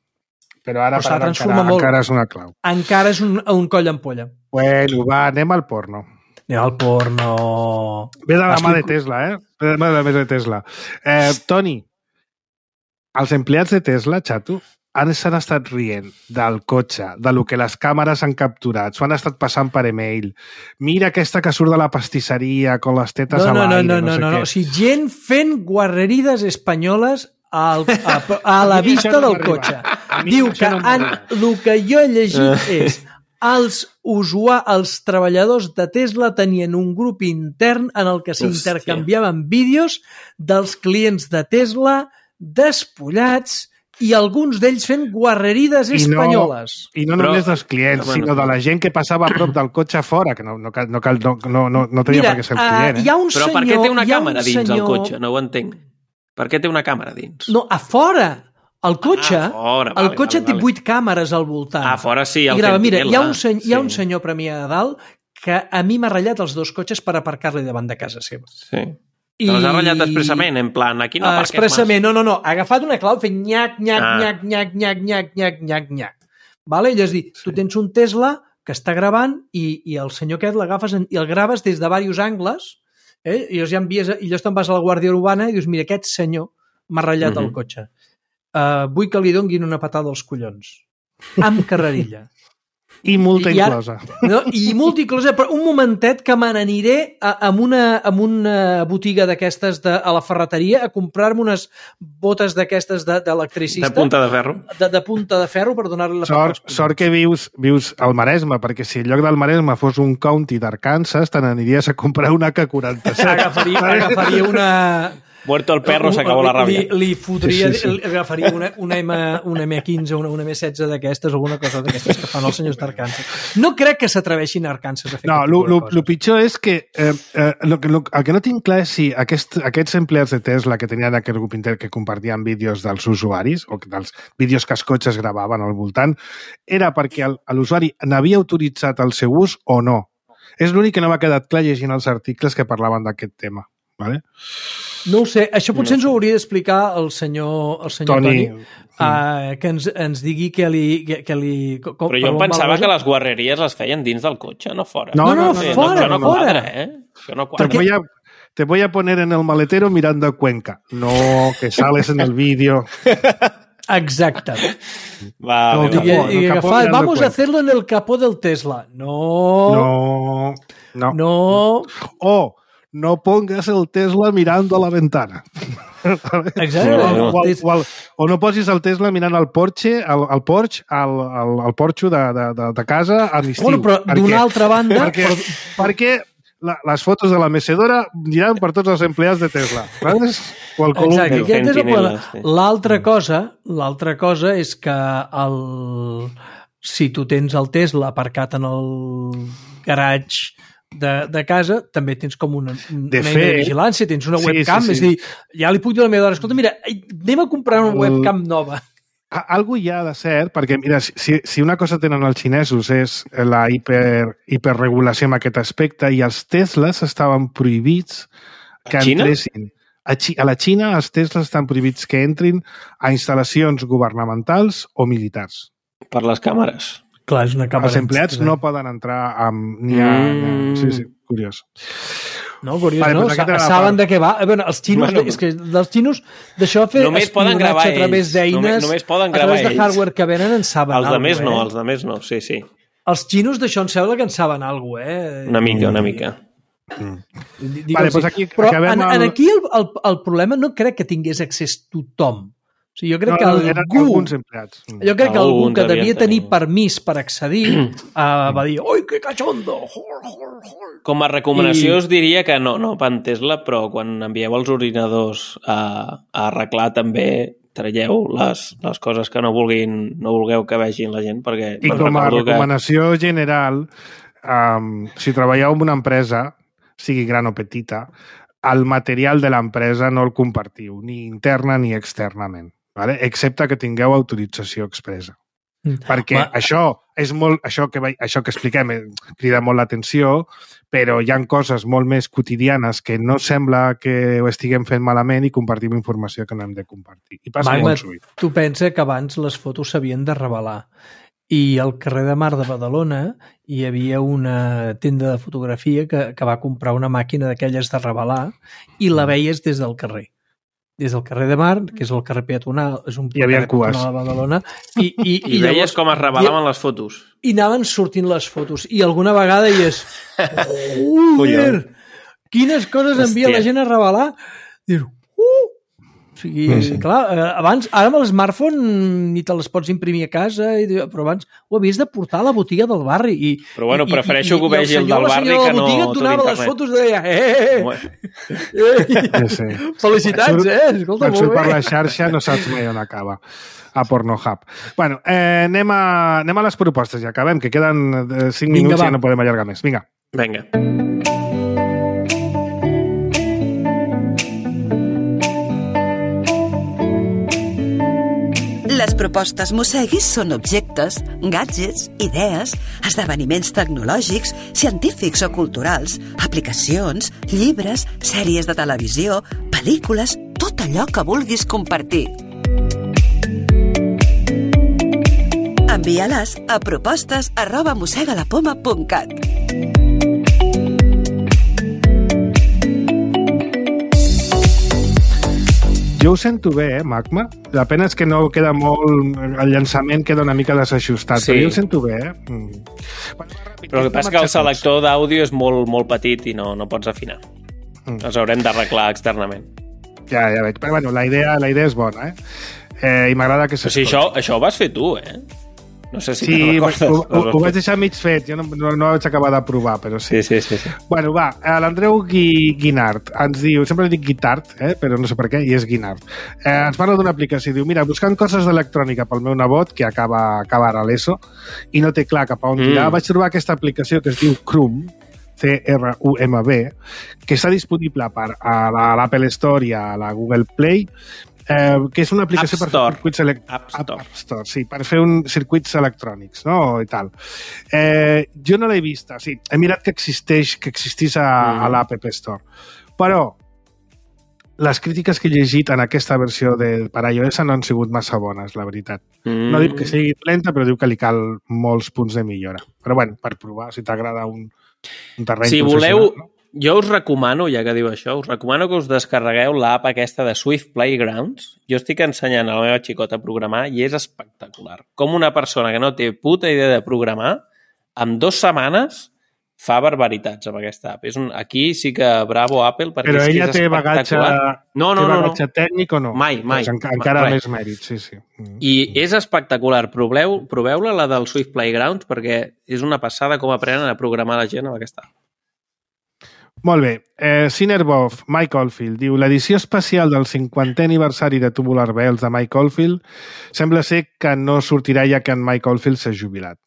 S2: Però ara encara és una clau.
S3: Encara és un coll d'ampolla.
S2: Bueno, va, anem al porno.
S3: Anem al porno.
S2: Ve de la mà de Tesla, Ve de la mà de Tesla. Toni, els empleats de Tesla, xato, s'han estat rient del cotxe, de lo que les càmeres han capturat, s'ho han estat passant per email. Mira aquesta que surt de la pastisseria con les tetes a l'aire, no sé què.
S3: O sigui, gent fent guarrerides espanyoles a la vista del cotxe. Diu que el que jo he llegit és els treballadors de Tesla tenien un grup intern en el que s'intercanviaven vídeos dels clients de Tesla despullats i alguns d'ells fent guarrerides espanyoles.
S2: I no només dels clients, sinó de la gent que passava a prop del cotxe fora, que no tenia per què ser el client.
S4: Però per què té una càmera dins el cotxe? No ho entenc. Per què té una càmera dins?
S3: No, a fora. El cotxe té 8 càmeres al voltant.
S4: A fora sí, el
S3: fent. Mira, hi ha un senyor premià de dalt que a mi m'ha ratllat els 2 cotxes per aparcar-li davant de casa seva.
S4: Sí. Els ha ratllat expressament, en plan, aquí no aparquem
S3: expressament, no. Ha agafat una clau fent nyac. Vale? I és dir, tu tens un Tesla que està gravant i el senyor aquest l'agafes i el graves des de diversos angles, i llavors te'n vas a la Guàrdia Urbana i dius, mira, aquest senyor m'ha ratllat el cotxe. Vull que li donguin una patada als collons. Amb carrerilla.
S2: I multa inclosa.
S3: I multa inclosa, però un momentet que me n'aniré a una botiga d'aquestes a la ferreteria a comprar-me unes botes d'aquestes d'electricista.
S4: De punta de ferro.
S3: De punta de ferro per donar-li la
S2: Sort que vius al Maresme, perquè si en lloc del Maresme fos un county d'Arkansas, te n'aniries a comprar una K47.
S3: Agafaria una...
S4: Muerto el perro, s'acabó la ràbia.
S3: Li fotria, agafaria una M15 o una M16 d'aquestes, alguna cosa d'aquestes que fan els senyors d'Arkansas. No crec que s'atreveixin a Arkansas a fer aquest tipus de coses.
S2: El pitjor és que el que no tinc clar és si aquests empleats de Tesla que tenien aquest grup intern que compartien vídeos dels usuaris o dels vídeos que els cotxes gravaven al voltant, era perquè l'usuari n'havia autoritzat el seu ús o no. És l'únic que no m'ha quedat clar llegint els articles que parlaven d'aquest tema. Vale?
S3: No ho sé, això potser ens ho hauria d'explicar el senyor Toni, que ens digui que li...
S4: Però jo em pensava que les guarreries les feien dins del cotxe, no fora.
S3: No, fora.
S4: Això no quadra, Això no quadra.
S2: Te voy a poner en el maletero mirando Cuenca. No, que sales en el vídeo.
S3: Exacte.
S4: Vale.
S3: Y agafar, vamos a hacerlo en el capó del Tesla. No.
S2: No pongas el Tesla mirando a la ventana.
S3: Exacte.
S2: O no posis el Tesla mirant al Porsche, al porxo de casa a l'estiu.
S3: Bueno, però d'una altra banda...
S2: Perquè les fotos de la mecedora aniran per tots els empleats de Tesla. Saps? O el columpio.
S3: L'altra cosa és que si tu tens el Tesla aparcat en el garatge de casa, també tens com una de vigilància, tens una webcam, és a dir, ja li puc dir a la meva dona, escolta, mira, anem a comprar una webcam nova.
S2: Algo hi ha de ser, perquè mira, si una cosa tenen els xinesos és la hiperregulació en aquest aspecte, i els Teslas estaven prohibits que entressin. A la Xina els Teslas estan prohibits que entrin a instal·lacions governamentals o militars.
S4: Per les càmeres.
S3: Clar, és una càmera.
S2: Els empleats no poden entrar amb... Sí, curiós.
S3: No, curiós, vale, no? Saben de què va. Bueno, els xinos, és que dels xinos d'això fer espionatge a través d'eines, a través de hardware que venen, en saben alguna cosa.
S4: Els de més no, sí.
S3: Els xinos d'això em sembla que en saben alguna cosa,
S4: Una mica.
S2: Vale, doncs aquí
S3: però aquí el problema no crec que tingués accés tothom. O sigui, jo crec que algú que devia tenir permís per accedir va dir, oi, que cachondo!
S4: Com a recomanació us diria que no per Tesla, però quan envieu els ordinadors a arreglar també traieu les coses que no vulgueu que vegin la gent, perquè...
S2: I com a recomanació general, si treballeu en una empresa, sigui gran o petita, el material de l'empresa no el compartiu, ni interna ni externament, vale? Excepte que tingueu autorització expressa. Perquè això que expliquem crida molt l'atenció, però hi ha coses molt més quotidianes que no sembla que ho estiguem fent malament i compartim informació que no hem de compartir. I passa molt sovint.
S3: Tu pensa que abans les fotos s'havien de revelar. I al carrer de Mar de Badalona hi havia una tenda de fotografia que va comprar una màquina d'aquelles de revelar i la veies des del carrer. Des del carrer de Mar, que és el carrer peatonal, és un carrer peatonal de Badalona.
S4: I veies com es revelaven les fotos.
S3: I anaven sortint les fotos. I alguna vegada hi és... Quines coses envia la gent a revelar? Dius, O sigui, clar, abans, ara amb l'smartphone ni te les pots imprimir a casa, però abans ho havies de portar a la botiga del barri.
S4: Però bueno, prefereixo que ho vegi el del barri que no
S3: tot internet. El senyor de la botiga et donava les fotos i deia felicitats, escolta, molt bé.
S2: Surt per la xarxa, no saps mai on acaba. A Pornhub. Bueno, anem a les propostes, ja acabem, que queden 5 minuts i ja no podem allargar més. Vinga.
S5: Les propostes Mosseguis són objectes, gadgets, idees, esdeveniments tecnològics, científics o culturals, aplicacions, llibres, sèries de televisió, pel·lícules, tot allò que vulguis compartir. Envia-les a propostes@mossegalapoma.cat.
S2: Jo ho sento bé, Magma. La pena és que no queda molt... El llançament queda una mica desajustat, però jo ho sento bé.
S4: Però el que passa que el selector d'àudio és molt, molt petit i no pots afinar. Els haurem d'arreglar externament.
S2: Ja veig. Però bueno, la idea és bona, i m'agrada que s'escolti.
S4: Però si això ho vas fer tu, No sé si
S2: te'n recordes. Ho vaig deixar mig fet, jo no vaig acabar de provar, però sí.
S4: Sí.
S2: Bueno, va, l'Andreu Guinart ens diu, sempre dic Guitart, però no sé per què, i és Guinart. Ens parla d'una aplicació, diu, mira, buscant coses d'electrònica pel meu nebot, que acaba ara l'ESO, i no té clar cap a on tirar, vaig trobar aquesta aplicació que es diu Crum, CRUMB, que està disponible a l'Apple Store i a la Google Play, que és una aplicació per fer circuits per fer circuits electrònics, no? I tal. Jo no l'he vista, he mirat que existís a l'App Store, però les crítiques que he llegit en aquesta versió per iOS no han sigut massa bones, la veritat. No diu que sigui lenta, però diu que li cal molts punts de millora. Però bueno, per provar, si t'agrada un terreny...
S4: Si voleu... Jo us recomano, ja que diu això, us recomano que us descarregueu l'app aquesta de Swift Playgrounds. Jo estic ensenyant a la meva xicota a programar i és espectacular. Com una persona que no té puta idea de programar, en 2 setmanes fa barbaritats amb aquesta app. Aquí sí que bravo Apple, perquè
S2: però
S4: és que
S2: ella
S4: és espectacular.
S2: No. Té bagatge tècnic o no?
S4: Mai.
S2: Pues encara més mèrit, sí.
S4: I és espectacular. Proveu-la, la del Swift Playgrounds, perquè és una passada com aprenen a programar la gent amb aquesta app.
S2: Molt bé. Cinerbov, Mike Oldfield, diu l'edició especial del 50è aniversari de Tubular Bells de Mike Oldfield sembla ser que no sortirà ja que en Mike Oldfield s'ha jubilat.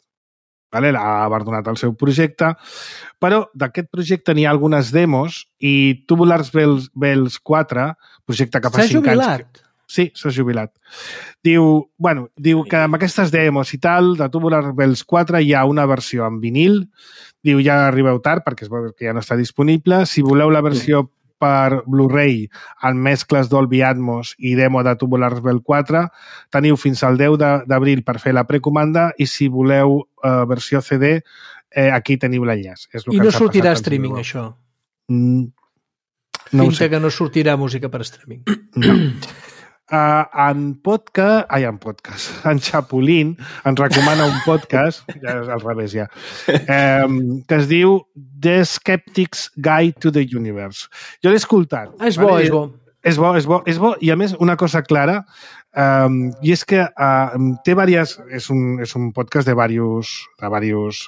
S2: vale? Ha abandonat el seu projecte, però d'aquest projecte n'hi ha algunes demos i Tubular Bells 4, projecte que fa 5 anys...
S3: S'ha jubilat?
S2: Sí, s'ha jubilat. Diu que amb aquestes demos i tal, de Tubular Bells 4 hi ha una versió en vinil. Diu, ja arribeu tard perquè es veu que ja no està disponible. Si voleu la versió per Blu-ray amb mescles Dolby Atmos i demo de Tubular Bells 4, teniu fins al 10 d'abril per fer la precomanda i si voleu versió CD, aquí teniu l'enllaç.
S3: I no sortirà streaming, això?
S2: No ho sé.
S3: Pinta que no sortirà música per streaming.
S2: No. En Chapulín ens recomana un podcast, ja és al revés ja, que es diu The Skeptic's Guide to the Universe. Jo l'he escoltat.
S3: És bo, és bo.
S2: És bo, i a més una cosa clara, i és que té és un podcast de diversos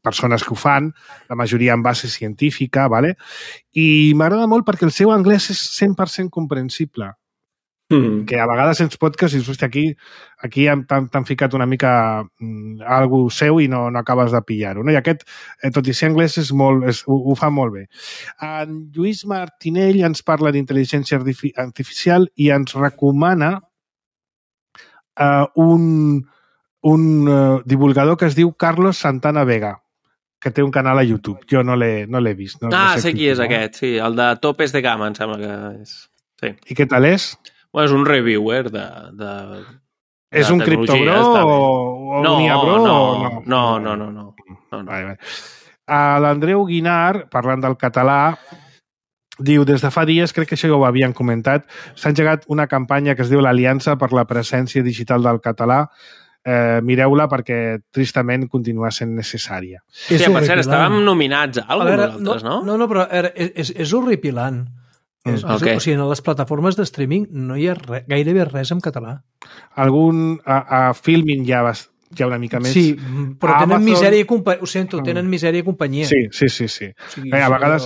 S2: persones que ho fan, la majoria en base científica, ¿vale? I m'agrada molt perquè el seu anglès és 100% comprensible. Que a vegades ens podcast i dius, hòstia, aquí t'han ficat una mica algú seu i no acabes de pillar-ho. No? I aquest, tot i ser anglès, ho fa molt bé. En Lluís Martinell ens parla d'intel·ligència artificial i ens recomana un divulgador que es diu Carlos Santana Vega, que té un canal a YouTube. Jo no l'he vist. No
S4: sé qui és aquest, sí. El de Topes de Gama, em sembla que és. Sí.
S2: I què tal és?
S4: Bueno, és un reviewer de
S2: és un criptobro o un iabro?
S4: No.
S2: Vale. L'Andreu Guinar, parlant del català, diu, des de fa dies, crec que això ja ho havien comentat, s'ha engegat una campanya que es diu l'Aliança per la presència digital del català. Mireu-la perquè tristament continua sent necessària.
S4: Sí, per cert, estàvem nominats a alguna nosaltres, no?
S3: No, però és horripilant.
S4: Okay.
S3: O sigui, en les plataformes de streaming no hi ha gairebé res en català.
S2: A Filmin ja una mica més.
S3: Sí, però tenen misèria i companyia. Ho sento, tenen misèria i companyia.
S2: Sí.
S3: O sigui,
S2: a vegades...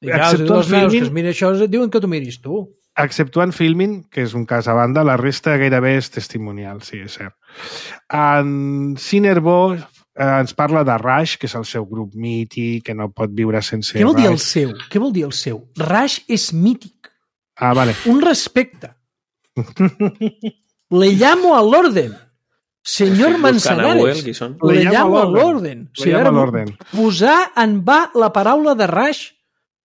S3: Exceptuant Filmin... que es mira això, et diuen que t'ho miris tu.
S2: Exceptuant Filmin, que és un cas a banda, la resta gairebé és testimonial, sí, és cert. En Cinerbo ens parla de Rush, que és el seu grup mític, que no pot viure sense
S3: Què vol dir el seu? Què vol dir el seu? Rush és mític.
S2: Ah, vale.
S3: Un respecte. Le llamo al orden. Señor Manzanares. Le llamo al orden. Posar en va la paraula de Rush,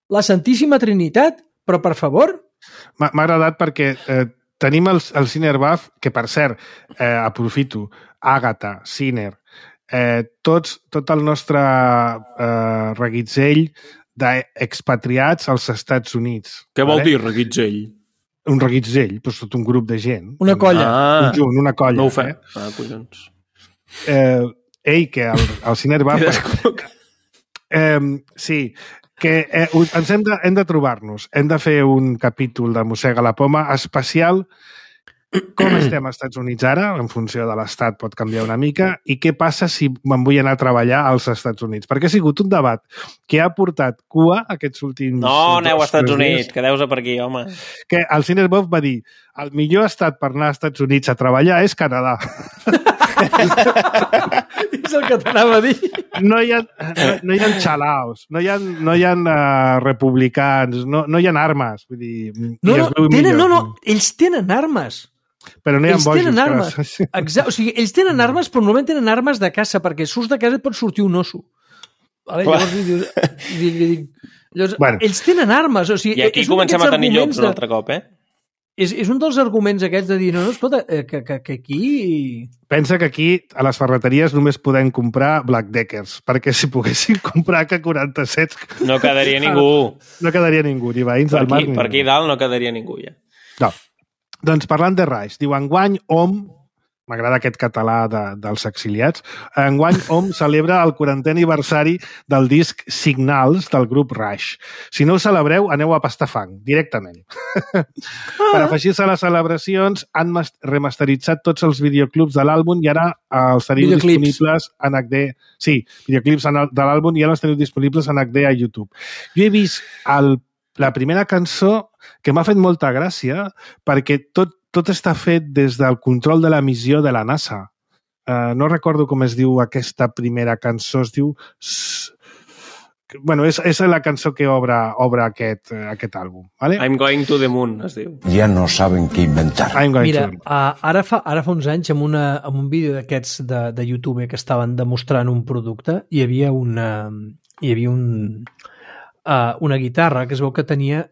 S3: la Santíssima Trinitat, però per favor...
S2: M'ha agradat perquè tenim el Cinerbaf, que per cert, aprofito, Àgata, Ciner, tot el nostre reguitzell d'expatriats als Estats Units.
S4: Què vol dir reguitzell?
S2: Un reguitzell, doncs tot un grup de gent.
S3: Una colla.
S2: Un junt, una colla.
S4: No ho fem. Collons.
S2: Que el Cinerbaf... sí, que ens hem de trobar-nos. Hem de fer un capítol de Mossega la Poma especial. Com estem als Estats Units ara, en funció de l'estat pot canviar una mica, i què passa si me'n vull anar a treballar als Estats Units? Perquè ha sigut un debat que ha portat cua aquests últims...
S4: No, aneu als Estats Units, quedeu-vos per aquí, home.
S2: Que el Cinerbov va dir, el millor estat per anar als Estats Units a treballar és Canadà.
S3: És el que t'anava a dir.
S2: No hi ha xalaos, no hi ha republicans, no hi ha armes. Vull dir,
S3: no, ells tenen armes.
S2: Però no hi ha
S3: ells
S2: bojos.
S3: Tenen armes. O sigui, ells tenen armes, però normalment tenen armes de caça, perquè surts de casa et pot sortir un osso. Vale? Llavors, ells tenen armes. O sigui,
S4: i aquí comencem a tenir llops un altre cop,
S3: És un dels arguments aquests de dir, no, escolta, que aquí...
S2: Pensa que aquí, a les ferreteries, només podem comprar Black Deckers, perquè si poguessin comprar AK-47...
S4: No quedaria ningú.
S2: No quedaria ningú, ni veïns del mar.
S4: Per aquí dalt no quedaria ningú, ja.
S2: No. Doncs parlant de Rush, diu, enguany OM, m'agrada aquest català dels exiliats, enguany OM celebra el 40è aniversari del disc Signals del grup Rush. Si no ho celebreu, aneu a pastar fang, directament. Per afegir-se a les celebracions, han remasteritzat tots els videoclips de l'àlbum i ara els teniu disponibles en HD. Sí, videoclips de l'àlbum i ara els teniu disponibles en HD a YouTube. Jo he vist la primera cançó que m'ha fet molta gràcia perquè tot està fet des del control de la missió de la NASA. no recordo com es diu aquesta primera cançó, es diu... Bueno, és la cançó que obre aquest àlbum. ¿Vale?
S4: I'm Going to the Moon, es diu.
S6: Ja no saben què inventar.
S3: Mira, ara fa uns anys, amb un vídeo d'aquests de YouTube que estaven demostrant un producte, hi havia una guitarra que es veu que tenia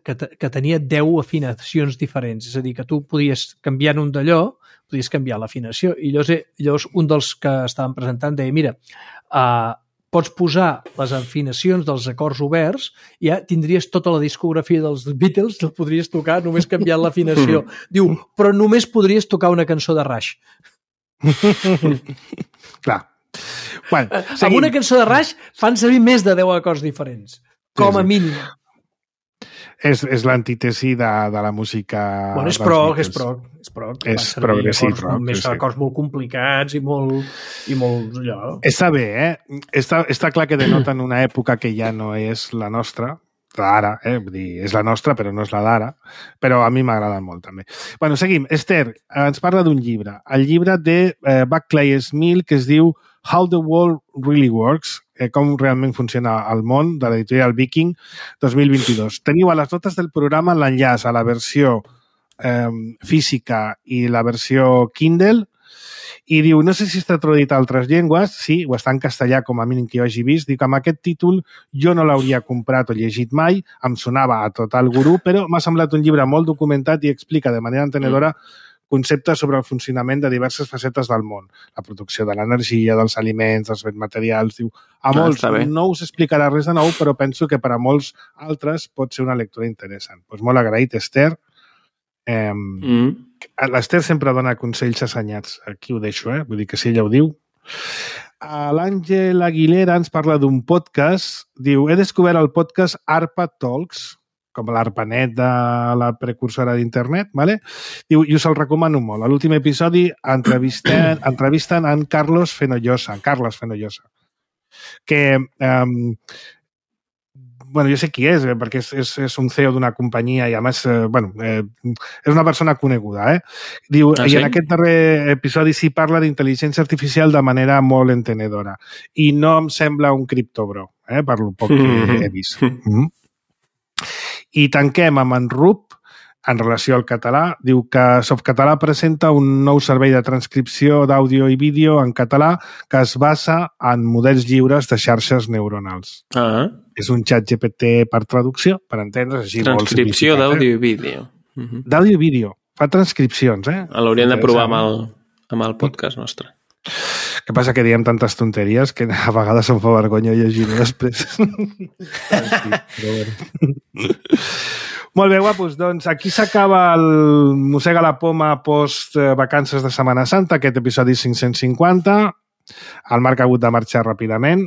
S3: 10 afinacions diferents. És a dir, que tu podies canviar un d'allò, podies canviar l'afinació. I llavors un dels que estaven presentant deia, mira, pots posar les afinacions dels acords oberts i ja tindries tota la discografia dels Beatles, el podries tocar només canviant l'afinació. Diu, però només podries tocar una cançó de Rush.
S2: Clar. Bueno,
S3: amb una cançó de Rush fan servir més de 10 acords diferents, com a mínim.
S2: És l'antítesi de la música...
S3: Bueno, és prog.
S2: És progressiu.
S3: Més acords molt complicats i molt allò.
S2: Està bé, Està clar que denoten una època que ja no és la nostra, d'ara, Vull dir, és la nostra, però no és la d'ara, però a mi m'agraden molt, també. Bueno, seguim. Esther ens parla d'un llibre. El llibre de Buckley Smith, que es diu How the World Really Works, com realment funciona el món, de l'editorial Viking 2022. Teniu a les notes del programa l'enllaç a la versió física i la versió Kindle, i diu, no sé si està traduït a altres llengües, sí, o està en castellà com a mínim que jo hagi vist, diu que amb aquest títol jo no l'hauria comprat o llegit mai, em sonava a total gurú, però m'ha semblat un llibre molt documentat i explica de manera entenedora conceptes sobre el funcionament de diverses facetes del món. La producció de l'energia, dels aliments, dels béns materials. Diu, a molts no us explicarà res de nou, però penso que per a molts altres pot ser una lectura interessant. Doncs molt agraït, Esther. L'Esther sempre dona consells assenyats. Aquí ho deixo, Vull dir que si ella ho diu. L'Àngel Aguilera ens parla d'un podcast. Diu, he descobert el podcast ARPA Talks, com l'ARPANET de la precursora d'internet, ¿vale? Diu, i us el recomano molt. A l'últim episodi entrevisten en Carlos Fenollosa, que, bueno, jo sé qui és, perquè és un CEO d'una companyia i, a més, és una persona coneguda, Diu, i en aquest darrer episodi sí parla d'intel·ligència artificial de manera molt entenedora. I no em sembla un criptobro, per lo poc que he vist. I tanquem amb en Rup, en relació al català. Diu que Softcatalà presenta un nou servei de transcripció d'àudio i vídeo en català que es basa en models lliures de xarxes neuronals. És un xat GPT per traducció, per entendre's així.
S4: Transcripció d'àudio i vídeo.
S2: D'àudio i vídeo. Fa transcripcions,
S4: L'hauríem de provar amb el podcast nostre.
S2: Que passa que diem tantes tonteries que a vegades em fa vergonya llegir-ho després. Molt bé, guapos. Doncs aquí s'acaba el Mossega la Poma post-vacances de Setmana Santa, aquest episodi 550. El Marc ha hagut de marxar ràpidament.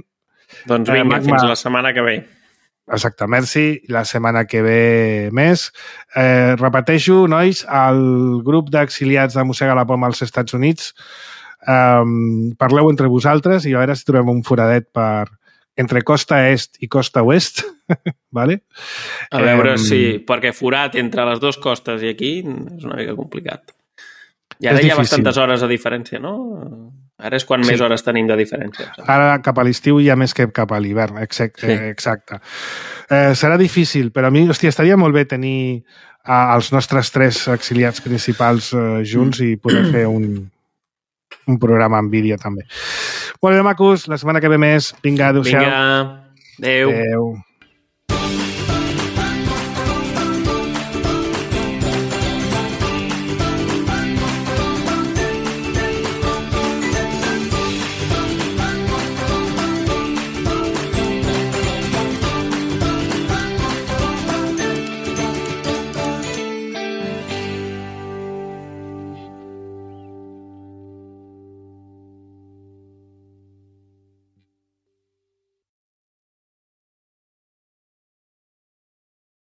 S4: Doncs vinga, fins la setmana que ve.
S2: Exacte, merci. La setmana que ve més. Repeteixo, nois, el grup d'exiliats de Mossega la Poma als Estats Units, parleu entre vosaltres i a veure si trobem un foradet entre costa est i costa oest, ¿vale?
S4: A veure si, perquè forat entre les dues costes i aquí és una mica complicat. I ara hi ha bastantes hores de diferència, no? Ara és quan més hores tenim de diferència.
S2: Ara cap a l'estiu hi ha més que cap a l'hivern, exacte. Serà difícil, però a mi, estaria molt bé tenir els nostres 3 exiliats principals junts i poder fer un programa en vídeo també. Molt bé, macos, la setmana que ve més. Vinga, adéu-siau.
S4: Vinga, adéu.